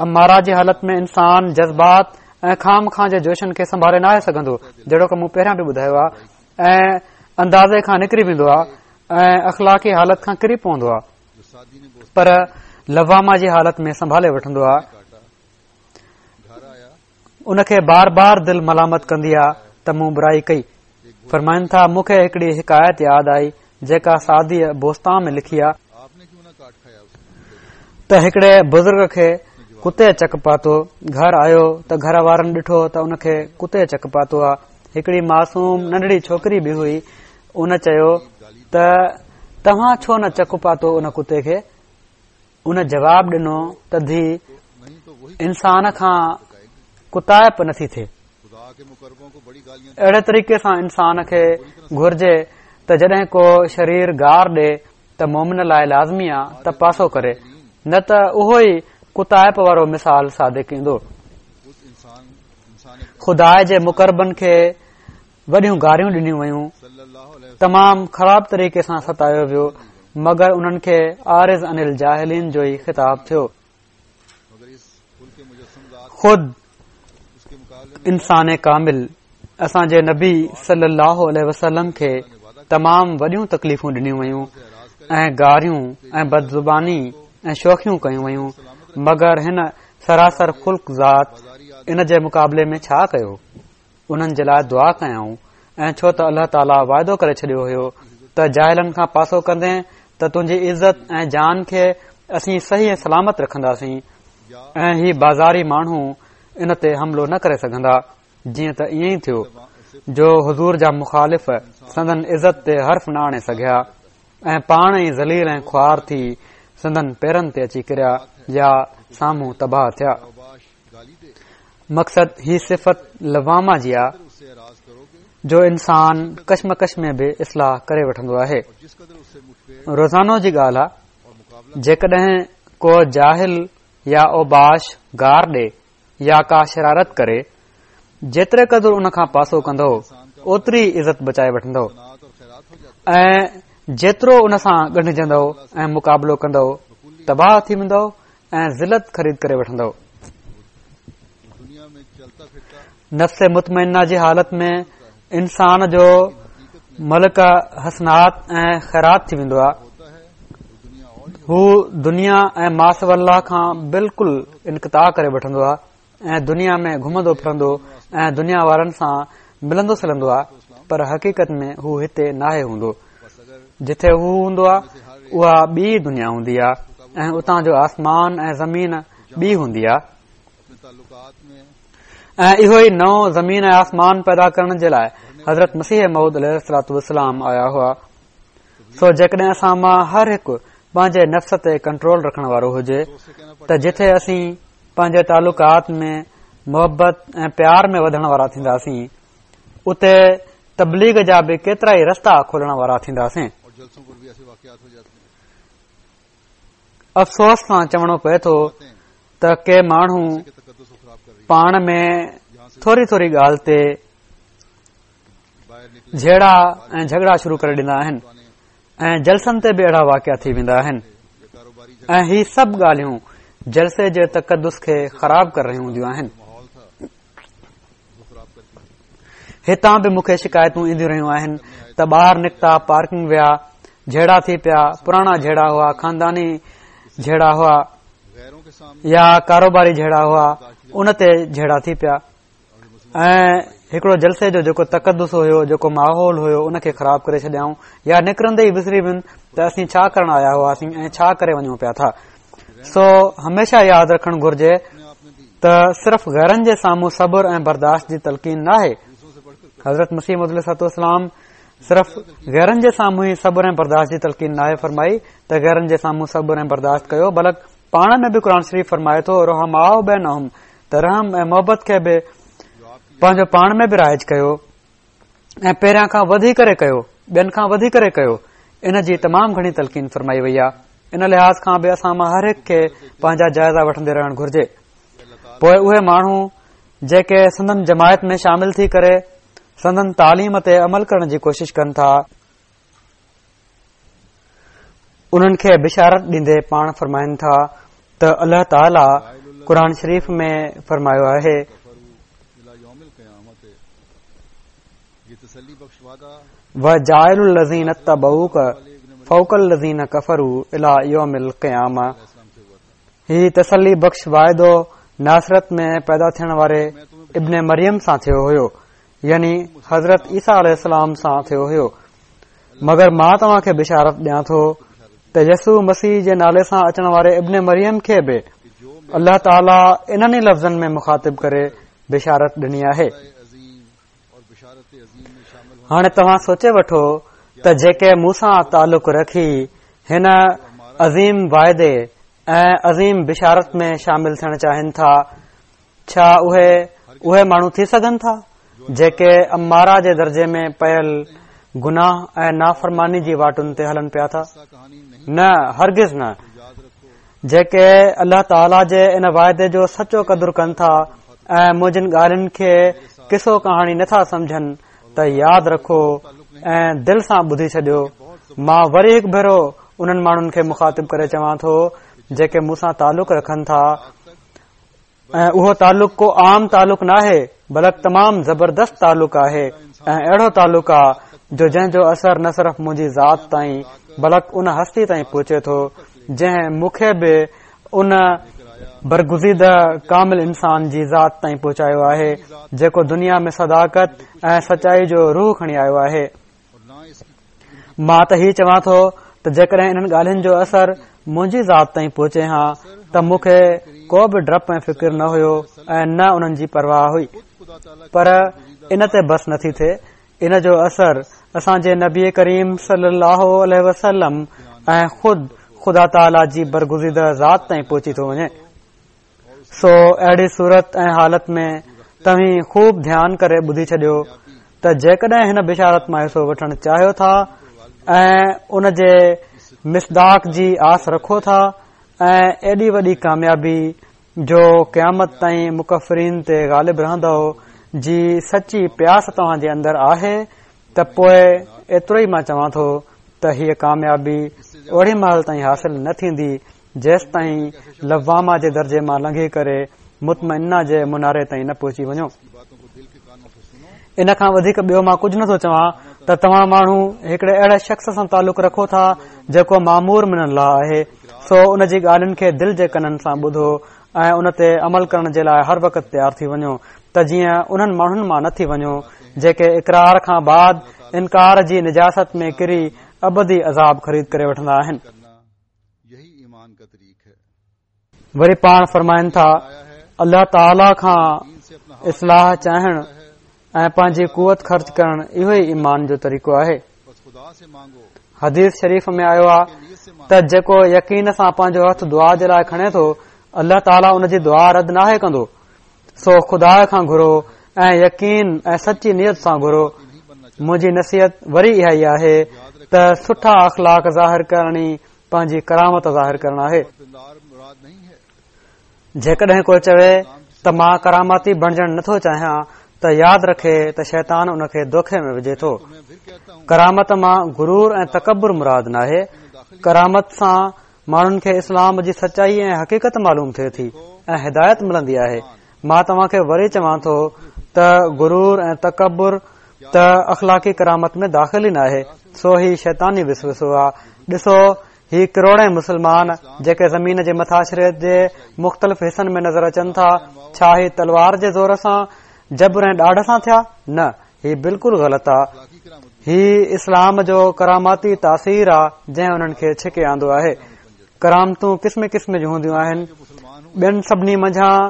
اماره جي حالت ۾ انسان جذبات ۽ خوامخواه جي جوشن کي سنڀالي ناهي سگهندو جهڙوڪ مون پهريان به ٻڌايو آ ۽ اندازي کان نڪري ويندو آ ۽ اخلاقي حالت کان ڪري پوندو آ پر لوامه جي حالت ۾ سنڀالي وٺندو آ ان کي بار بار دل ملامت ڪندي آ ته مون برائي ڪئي. فرمائن ٿا، مون کي هڪڙي حڪايت ياد آئي جيڪا سعديء بوستان ۾ لکي آ، ته هڪڙي بزرگ کي ڪتي چڪ پاتو، گهر آيو ته گهر وارن ڏٺو ته ان کي ڪتي چڪ پاتو آ. هڪڙي معصوم ننڍڙي ڇوڪري به هئي، ان چيو ته توهان ڇو نه چڪ پاتو ان ڪتي کي؟ ان جواب ڏنو ته ڌي انسان کان ڪتائپ نٿي ٿئي. اهڙي طريقي سان انسان کي گهرجي ته جڏهن ڪو شرير گار ڏي ته مومن لاء لازمي آ ته پاسو ڪري نه ته اهو ئي ڪتائپ وارو مثال صادق ايندو. خدا جي مقربن کي وڏيون گاريون ڏنيون ويون، تمام خراب طريقي سان ستايو ويو، مگر انهن کي اعرض عن الجاهلين جو ئي خطاب ٿيو. خود انسان ڪامل اسان جي نبي صلي الله عليه وسلم کي تمام وڏيون تڪليفون ڏنيون ويون ۽ گاريون ۽ بدزباني ۽ شوخيون ڪيون ويون، مگر هن سراسر خلق ذات ان جي مقابلي ۾ ڇا ڪيو؟ انهن جي لاء دعا ڪيائون ۽ ڇو ته الله تعاليٰ واعدو ڪري ڇڏيو هيو ته جاهلن کان پاسو ڪندين ته تنهنجي عزت ۽ جان کي اسين صحيح ۽ سلامت رکنداسين ۽ هي بازاري ماڻهو ان تي حملو نه ڪري سگهندا جيئن ته ائين ئي ٿيو جو حضور جا مخالف سندن عزت تي حرف نه آڻي سگهيا ۽ پاڻ ئي ذليل ۽ خوار ٿي سندن پيرن تي اچي ڪريا يا سامهون تباهه ٿيا. مقصد هي صفت لوامه جي آ جو انسان ڪشمڪش ۾ به اصلاح ڪري وٺندو آهي. روزانو جي ڳالهه آ جيڪڏهن ڪو جاهل يا اوباش گار ڏي يا ڪا شرارت ڪري جيتري قدر ان کان پاسو ڪندو اوتري عزت بچائي وٺندو ۽ جيترو ان سان ڳنڍجندو ۽ مقابلو ڪندو تباهه ٿي ويندو ۽ ذلت خريد ڪري وٺندؤ. نفس مطمئنه جي حالت ۾ انسان جو ملڪه حسنات ۽ خيرات ٿي ويندو آهي. هو دنيا ۽ ماسويٰ الله کان بلڪل انقطاع ڪري وٺندو آهي ۽ دنيا ۾ گهمندو ڦرندو ۽ دنيا وارن سان ملندو سلندو آهي پر حقيقت ۾ هو هتي ناهي هوندو. جتي هو هوندو آهي اها ٻي دنيا هوندي آهي. ۽ اتان جو آسمان ۽ زمين ٻي هوندي آهي ۽ اهو ئي نئون زمين ۽ آسمان پيدا ڪرڻ جي لاء حضرت مسيح موعود عليه الصلوة والسلام آيا هئا. سو جيڪڏهن اسان مان هر هڪ پنهنجي نفس تي ڪنٽرول رکڻ وارو هجي ته جٿي اسين پنهنجي تعلقات ۾ محبت ۽ پيار ۾ وڌڻ وارا ٿينداسين اتي تبليغ جا به ڪيترا ئي رستا کولڻ وارا ٿينداسين. افسوس سان چوڻو پئي ٿو ته ڪي ماڻهو پاڻ ۾ ٿوري ٿوري ڳالهه تي جهيڙا ۽ جهڳڙا شروع ڪري ڏيندا آهن ۽ جلسن تي به اهڙا واقعا ٿي ويندا آهن ۽ هي سڀ ڳالهيون جلسي جي تقدس کي خراب ڪري رهيون هونديون آهن. هتان به مون کي شڪايتون اينديون رهيون آهن ته ٻاهر نڪتا، پارڪنگ ويا، جهيڙا ٿي پيا، پراڻا جهيڙا هئا، خانداني جهيڙا هئا يا ڪاروباري جهيڙا هئا، ان تي جهيڙا ٿي پيا ۽ هڪڙو جلسي جو جيڪو تقدس هيو، جيڪو ماحول هيو، ان کي خراب ڪري ڇڏيائون يا نڪرندي ئي وسري وين ته اسين ڇا ڪرڻ آيا هئاسين ۽ ڇا ڪري وڃون پيا ٿا. سو هميشه ياد رکڻ گهرجي ته صرف غيرن جي سامهون صبر ۽ برداشت جي تلقين ناهي. حضرت مسيح موعود عليه الصلوة والسلام صرف غيرن جي سامهون ئي صبر ۽ برداشت جي تلقين ناهي فرمائي ته غيرن جي سامهون صبر ۽ برداشت ڪيو بلڪ پاڻ ۾ به قرآن شريف فرمائي ٿو رحماء بينهم ته رحم ۽ محبت کي به پنهنجو پاڻ ۾ به رائج ڪيو ۽ پهريان کان وڌي ڪري ڪيو، ٻين کان وڌي ڪري ڪيو، ان جي تمام گهڻي تلقين فرمائي وئي آهي. ان لحاظ کان به اسان مان هر هڪ کي پنهنجا جائزا وٺندي رهڻ گهرجي. پوء اهي ماڻهو جيڪي سندن جماعت ۾ شامل ٿي ڪري سندن تعليم تي عمل ڪرڻ جي ڪوشش ڪن ٿا، انهن کي بشارت ڏيندي پاڻ فرمائن ٿا ته الله تعاليٰ قرآن شريف ۾ فرمايو آهي. وجاعل الذين اتبعوڪ فوق الذين ڪفروا الي يوم القيامه هي تسلي بخش واعدو ناصرت ۾ پيدا ٿيڻ واري ابن مريم سان ٿيو هيو يعني حضرت عيسيٰ عليه السلام سان ٿيو هيو مگر مان توهان کي بشارت ڏيان ٿو ته يسوع مسيح جي نالي سان اچڻ واري ابن مريم کي به الله تعاليٰ انهن ئي لفظن ۾ مخاطب ڪري بشارت ڏني آهي. هاڻي توهان سوچي وٺو ته جيڪي مون سان تعلق رکي هن عظيم واعدي ۽ عظيم بشارت ۾ شامل ٿيڻ چاهين ٿا، ڇا اهي اهي ماڻهو ٿي سگهن ٿا جيڪي اماره جي درجي ۾ پيل گناهه ۽ نافرماني جي واٽن تي هلن پيا ٿا؟ نه، هرگز نه. جيڪي الله تعاليٰ جي ان واعدي جو سچو قدر ڪن ٿا ۽ منهنجين ڳالهين کي قصو ڪهاڻي نٿا سمجهن ته ياد رکو ۽ دل سان ٻڌي ڇڏيو مان وري هڪ ڀيرو انهن ماڻهن کي مخاطب ڪري چوان ٿو جيڪي مون سان تعلق رکن ٿا ۽ اهو تعلق ڪو عام تعلق ناهي بلڪ تمام زبردست تعلق آهي ۽ اهڙو تعلق آ جو جنهن جو اثر نه صرف منهنجي ذات تائين بلڪ ان هستي تائين پهچي ٿو جنهن مون کي به ان برگزيده ڪامل انسان جي ذات تائين پهچايو آهي جيڪو دنيا ۾ صداقت ۽ سچائي جو روح کڻي آيو آهي. مان ته هي چوان ٿو ته جيڪڏهن انهن ڳالهين جو اثر منهنجي ذات تائين پهچي ها ته مون کي ڪو به ڊپ ۽ فڪر نه هيو ۽ نه انهن جي پرواهه هئي پر ان تي بس نٿي ٿئي ان جو اثر اسان جي نبي ڪريم صلي الله عليه وسلم ۽ خود خدا تعاليٰ جي برگزيده ذات تائين پهچي ٿو وڃي سو اهڙي صورت ۽ حالت ۾ توهين خوب ڌيان ڪري ٻڌي ڇڏيو ته جيڪڏهن هن بشارت مان حصو وٺڻ چاهيو ٿا ۽ ان جي مصداق جي آس رکو ٿا ۽ ايڏي وڏي ڪاميابي جو قيامت تائين مڪفرين تي غالب رهندؤ جي سچي پياس توهان جي اندر آهي ته پوء ايترو ئي مان چوان ٿو ته هيء ڪاميابي اوڙي مهل تائين حاصل نه ٿيندي جيستائين لوامه جي درجي مان لنگهي ڪري مطمئنه جي مناري تائين نه پهچي وڃو. ان کان وڌيڪ ٻيو مان ڪجهه نٿو چوان ته توهان ماڻهو هڪڙي اهڙي شخص سان تعلق رکو ٿا جيڪو مامور من الله آهي سو ان جي ڳالهين کي دل جي ڪنن سان ٻڌو ۽ ان تي عمل ڪرڻ جي لاء هر وقت تيار ٿي وڃو ته جيئن انهن ماڻهن مان نه ٿي وڃو جيڪي اقرار کان بعد انڪار جي نجاست ۾ ڪري ابدي عذاب خريد ڪري وٺندا آهن. يهي ايمان کا طريق. وري پاڻ فرمائن ٿا، الله تعاليٰ کان اصلاح چاهڻ ۽ پنهنجي قوت خرچ ڪرڻ اهو ئي ايمان جو طريقو آهي. حديث شريف ۾ آيو آهي ته جيڪو يقين سان پنهنجو هٿ دعا جي لاء کڻي ٿو، الله تعاليٰ ان جي دعا رد ناهي ڪندو. سو خدا کان گهرو ۽ يقين ۽ سچي نيت سان گهرو. منهنجي نصيحت وري اها ئي آهي ته سٺا اخلاق ظاهر ڪرڻ ئي پنهنجي ڪرامت ظاهر ڪرڻ آهي. جيڪڏهن ڪو چوي ته مان ڪرامتي بڻجڻ نٿو چاهيان ته ياد رکي ته شيطان ان کي دوکي ۾ وجهي ٿو. ڪرامت مان غرور ۽ تڪبر مراد ناهي. ڪرامت سان ماڻهن کي اسلام جي سچائي ۽ حقيقت معلوم ٿئي ٿي ۽ هدايت ملندي آهي. مان توهان کي وري چوان ٿو ته غرور ۽ تڪبر ته اخلاقي ڪرامت ۾ داخل ئي ناهي، سو هي شيطاني وسوسو آ. ڏسو هي ڪروڙين مسلمان جيڪي زمين جي مٿاڇري جي مختلف حصن ۾ نظر اچن ٿا، ڇا هي تلوار جي زور سان، جبر ۽ ڏاڍ سان ٿيا؟ نه، هي بلڪل غلط آ. هي اسلام جو ڪراماتي تاثير آ جنهن انهن کي ڇڪي آندو آهي. ڪرامتون قسم قسم جون هونديون آهن. ٻين سڀني منجهان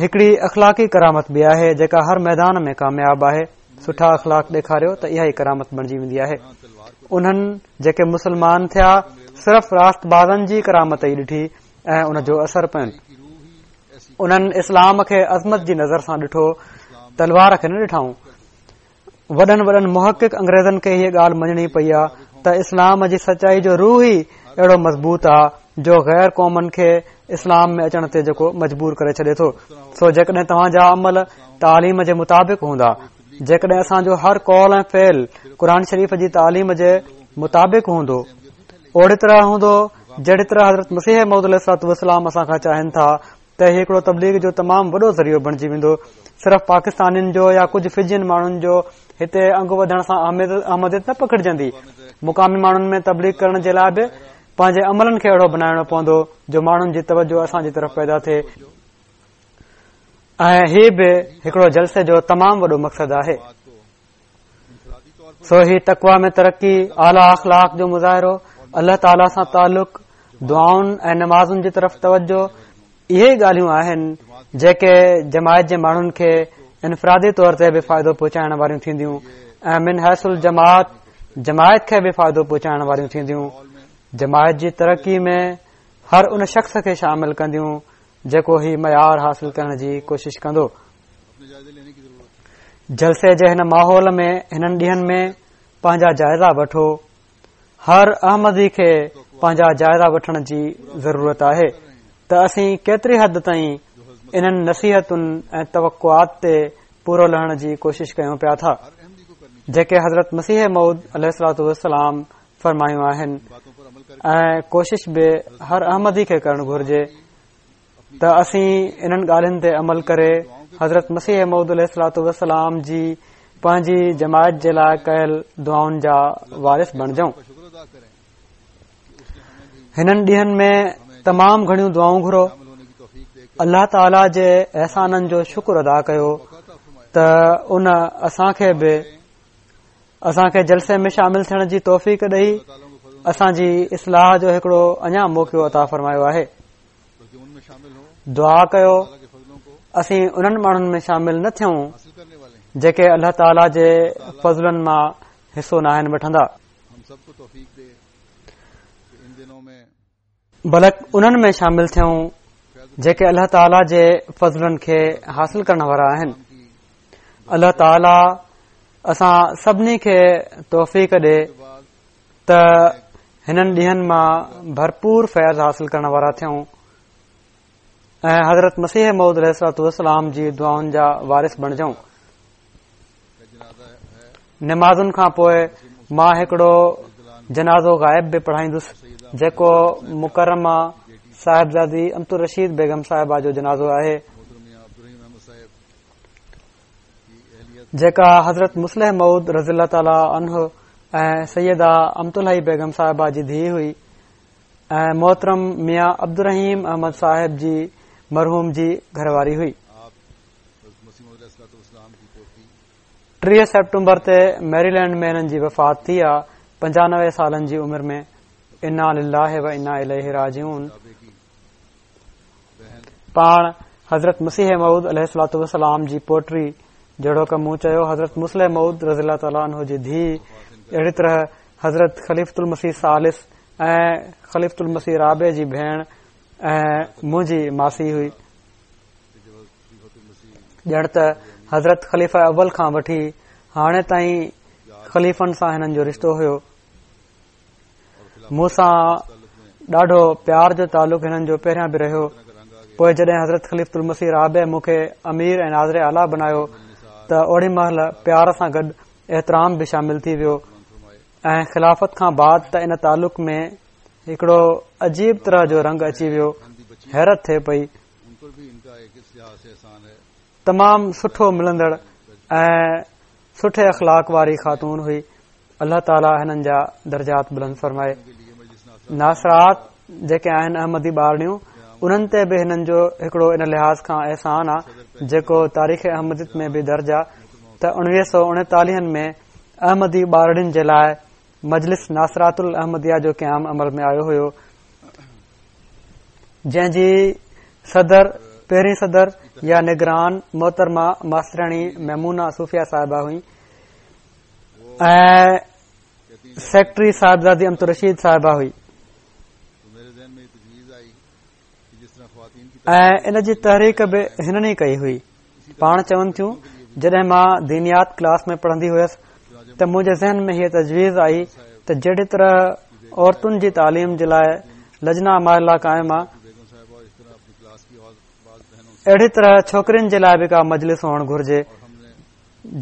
هڪڙي اخلاقي ڪرامت به آهي جيڪا هر ميدان ۾ ڪامياب آهي. سٺا اخلاق ڏيکاريو ته اها ئي ڪرامت بڻجي ويندي آهي. انهن جيڪي مسلمان ٿيا صرف راست بازن جي ڪرامت ئي ڏٺي ۽ ان جو اثر پين. انهن اسلام کي عظمت جي نظر سان ڏٺو، تلوار کي نه ڏٺائون. وڏن وڏن محقق انگريزن کي هيء ڳالهه مڃڻي پئي آ ته اسلام جي سچائي جو روح ئي اهڙو مضبوط آ جو غير قومن کي اسلام ۾ اچڻ تي جيڪو مجبور ڪري ڇڏي ٿو. سو جيڪڏهن توهان جا عمل تعليم جي مطابق هوندا، جيڪڏهن اسان جو هر قول ۽ فعل قرآن شريف جي تعليم جي مطابق هوندو، اوڙي طرح هوندو جهڙي طرح حضرت مسيح موعود عليه الصلوة والسلام اسان کان چاهين ٿا ته هي هڪڙو تبليغ جو تمام وڏو ذريعو بڻجي ويندو. صرف پاڪستانين جو يا ڪجهه فجين ماڻهن جو هتي انگ وڌڻ سان احمديت نه پکڙجندي. مقامي ماڻهن ۾ تبليغ ڪرڻ جي لاء به پنهنجي عملن کي اهڙو بنائڻو پوندو جو ماڻهن جي توجه اسان جي طرف پيدا ٿئي ۽ هي به هڪڙو جلسي جو تمام وڏو مقصد آهي. سو هي تقويٰ ۾ ترقي، اعليٰ اخلاق جو مظاهرو، الله تعاليٰ سان تعلق، دعائن ۽ نمازن جي طرف توجه، اهي ئي ڳالهيون آهن جيڪي جماعت جي ماڻهن کي انفرادي طور تي به فائدو پهچائڻ واريون ٿينديون ۽ من حيث الجماعت جماعت کي به فائدو پهچائڻ واريون ٿينديون. جماعت جي ترقي ۾ هر ان شخص کي شامل ڪنديون جيڪو هي معيار حاصل ڪرڻ جي ڪوشش ڪندو. جلسي جي هن ماحول ۾ هنن ڏينهن ۾ پنهنجا جائزا وٺو. هر احمدي کي پنهنجا جائزا وٺڻ جي ضرورت آهي ته اسين ڪيتري حد تائين انهن نصيحتن ۽ توقعات تي پورو لهڻ جي ڪوشش ڪيون پيا ٿا جيڪي حضرت مسيح موعود عليه الصلوة والسلام فرمايون آهن ۽ ڪوشش به هر احمدي کي ڪرڻ گهرجي ته اسين انهن ڳالهين تي عمل ڪري حضرت مسيح موعود عليه الصلوة والسلام جي پنهنجي جماعت جي لاء ڪيل دعائن جا وارث بڻجون. هنن ڏينهن ۾ تمام گهڻيون دعائون گهرو. الله تعاليٰ جي احسانن جو شڪر ادا ڪيو ته ان اسان کي به اسان کي جلسي ۾ شامل ٿيڻ جي توفيق ڏئي اسان جي اصلاح جو هڪڙو اڃا موقعو عطا فرمايو آهي. دعا ڪيو اسين انهن ماڻهن ۾ شامل نه ٿيون جيڪي الله تعاليٰ جي فضلن مان حصو ناهن وٺندا بلڪ انهن ۾ شامل ٿيون جيڪي الله تعاليٰ جي فضلن کي حاصل ڪرڻ وارا آهن الله تعاليٰ اسان سڀني کي توفيق ڏي ته هنن ڏينهن مان ڀرپور فيض حاصل ڪرڻ وارا ٿيون ۽ حضرت مسيح موعود عليه الصلوة والسلام جي دعائن جا وارث بڻجون. نمازن کان پوء مان هڪڙو جنازو غائب به پڙهائيندس جيڪو مڪرمه صاحبزادي امت الرشيد بيگم صاحبه جو جنازو آهي. جيڪا حضرت مصلح موعود رضي الله تعالٰي عنه ۽ سيده امت الحي بيگم صاحبه جي ڌيء هئي ۽ محترم ميان عبدالرحيم احمد صاحب جي مرحوم جي گهر واري هئي. 30 سيپٽمبر تي ميريلينڊ ۾ هنن جي وفات ٿي آ 95 سالن جي عمر ۾. انا لله و انا اليه راجعون. پاڻ حضرت مسيح موعود عليه الصلوة والسلام جي پوٽي جهڙوڪ مون چيو حضرت مصلح موعود رضي الله تعالٰي عنه جي ڌيء اهڙي طرح حضرت خليفة المسيح ثالث ۽ خليفة المسيح رابع جي ڀيڻ ۽ منهنجي ماسي هئي. ڄڻ ته حضرت خليفه اول کان وٺي هاڻي تائين خليفن سان هنن جو رشتو هيو. مون سان ڏاڍو پيار جو تعلق هنن جو پهريان به رهيو. پوء جڏهن حضرت خليفة المسيح رابع مون کي امير ۽ ناظر اعليٰ بنايو ته اوڏي مهل پيار سان گڏ احترام به شامل ٿي ويو ۽ خلافت کان بعد ته ان تعلق ۾ هڪڙو عجيب طرح جو رنگ اچي ويو. حيرت ٿئي پئي. تمام سٺو ملندڙ ۽ سٺي اخلاق واري خاتون هئي. الله تعالي هنن جا درجات بلند فرمائي. ناصرات جيڪي آهن احمدي ٻارڙيون انهن تي به هنن جو هڪڙو ان لحاظ کان احسان آ جيڪو تاريخ احمديت ۾ به درج آ ته 1939 ۾ احمدي ٻارڙين جي لاء مجلس ناصرات الاحمديه جو قيام عمل ۾ آيو هيو جنهن جي صدر پهرين صدر يا نگران محترمه ماسترياڻي ميمونه صوفيه صاحبه هئي ۽ سيڪريٽري صاحبزادي امت الرشيد صاحبه هئي ۽ ان جي تحريڪ به هنن ئي ڪئي هئي پاڻ چون ٿيون جڏهن مان دينيات ڪلاس ۾ پڙهندي هيس ته منهنجي ذهن ۾ هيء تجويز آئي ته جهڙي طرح عورتن جي تعليم جي لاء لجنه اماء الله قائم آ اهڙي طرح ڇوڪرين جي لاء به ڪا مجلس هئڻ گهرجي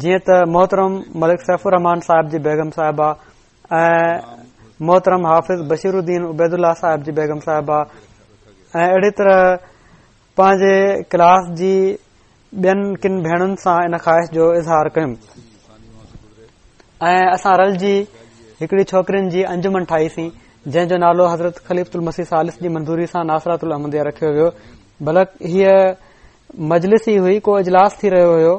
جيئن ته محترم ملڪ سيف الرحمان صاحب جي بيگم صاحبه ۽ محترم حافظ بشير الدين عبيد الله صاحب جي بيگم صاحبه ۽ اهڙي طرح پنهنجي ڪلاس جي ٻين ڪن ڀيڻن سان ان خواهش جو اظهار ڪيم ۽ اسان رلجي هڪڙي ڇوڪرين جي انجمن ٺاهيسين جنهن جو نالو حضرت خليفة المسيح ثالث جي منظوري سان ناصرات الاحمديه رکيو ويو بلڪ هيء مجلس ئي هئي ڪو اجلاس ٿي رهيو هيو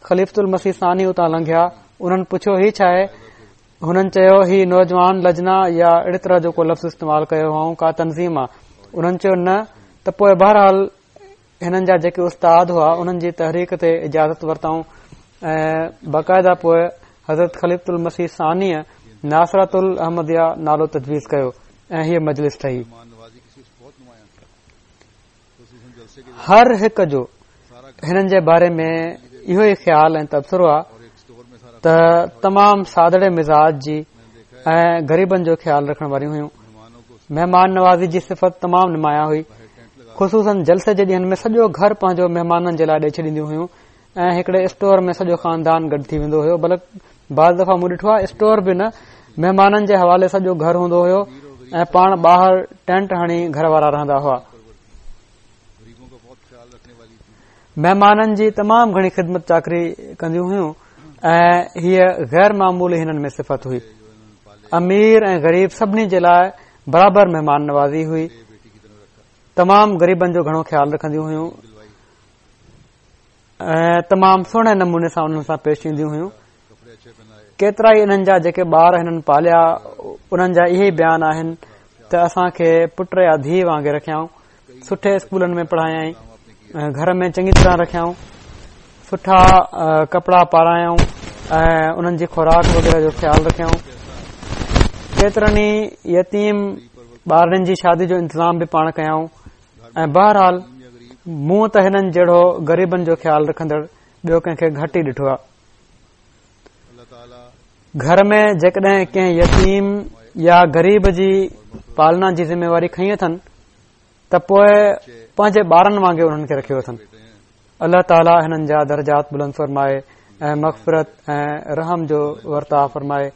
خليفة المسيح ثاني اتان لنگهيا انهن پڇيو هي ڇا آهي هنن چيو هي نوجوان لجنه يا اهڙي طرح جو ڪو لفظ استعمال ڪيو هئائون ڪا تنظيم آ انهن چيو نه ته پوء بهرحال هنن جا جيڪي استاد هئا انهن جي تحريڪ تي اجازت ورتائون ۽ باقاعده پوء حضرت خليفة المسيح ثانيء ناصرة الاحمديه نالو تجويز ڪيو ۽ هيء مجلس ٺهي. هر هڪ جو هنن جي باري ۾ اهو ئي خيال ۽ تبصرو آ ته تمام سادڙي مزاج جي ۽ غريبن جو خيال رکڻ واريون هيون. مهمان نوازي جي صفت تمام نمايان هئي. خصوصاً جلسي جي ڏينهن ۾ سڄو گهر پنهنجو مهمانن جي لاء ڏئي ڇڏينديون هيون ۽ هڪڙي اسٽور ۾ سڄو خاندان گڏ ٿي ويندو هيو بلڪ بعض دفعا مون ڏٺو آهي اسٽور به نه مهمانن جي حوالي سڄو گهر هوندو هيو ۽ پاڻ ٻاهر ٽينٽ هڻي گهر وارا رهندا هئا مهمانن جي تمام گهڻي خدمت چاڪري ڪنديون هيون ۽ هيء غير معمولي هنن ۾ صفت هئي امير ۽ غريب سڀني جي لاء برابر مهمان نوازي هئي تمام غريبن جو گهڻو خيال رکنديون هيون ۽ تمام سهڻي نموني سان انهن سان پيش اينديون هيون ڪيترا ئي انهن جا جيڪي ٻار هنن پاليا انهن جا اهي ئي بيان آهن ته اسان کي پٽ يا ڌيء وانگي رکيائون سٺي اسڪولن ۾ پڙهايائين گهر ۾ چڱي طرح رکيائون سٺا ڪپڙا پارايائون ۽ انهن جي خوراڪ وغيره جو خيال رکيائون ڪيترن ئي يتيم ٻارڙن جي شادي جو انتظام به پاڻ ڪيائون ۽ بهرحال مون ته هنن جهڙو غريبن جو خيال رکندڙ ٻيو ڪنهن کي گهٽ ئي ڏٺو آهي. گهر ۾ جيڪڏهن ڪنهن يتيم يا غريب جي پالنا جي ذميواري کنئي اٿن ته پوء پنهنجي ٻارن وانگي انهن کي رکيو اٿن. الله تعالي هنن جا درجات بلند فرمائي ۽ مغفرت ۽ رحم جو ورتاء فرمائي.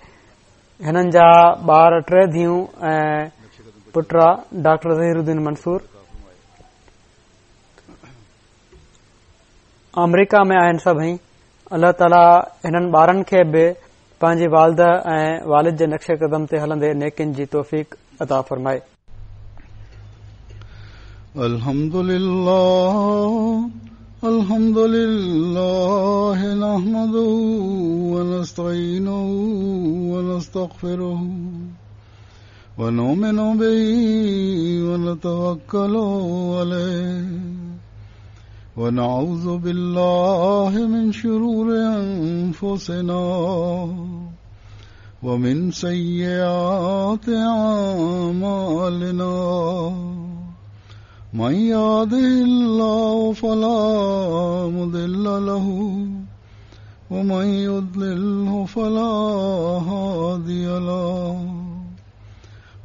هنن جا ٻار ٽي ڌيئون ۽ پٽ آ ڊاڪٽر ظهير الدين منصور آمريڪا ۾ آهن سڀئي الله تعالي هنن ٻارن کي به پنهنجي والده ۽ والد جي نقش قدم تي هلندي نيڪين جي توفيق عطا فرمائي. الحمد لله الحمد لله نحمده ونستعينه ونستغفره ونؤمن به ونتوكل عليه. ونعوذ بالله من شرور أنفسنا ومن سيئات أعمالنا من يهده الله فلا مضل له ومن يضلله فلا هادي له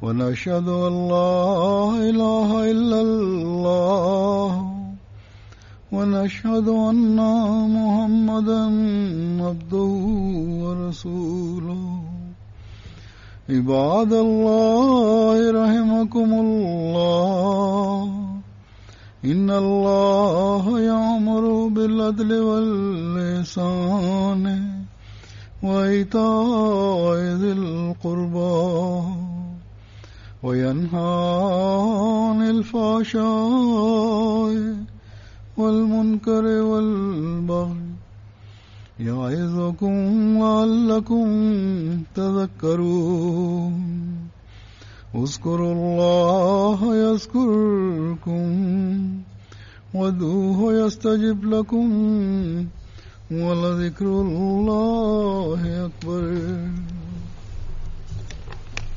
ونشهد أن لا إله إلا الله ونشهد أن محمدا عبده ورسوله عباد الله رحمكم الله إن الله يأمر بالعدل والإحسان وإيتاء ذي القربى وينهى عن الفحشاء والمنكر والبغي يعظكم لعلكم تذكرون اذكروا الله يذكركم وادعوه يستجب لكم ولذكر الله أكبر.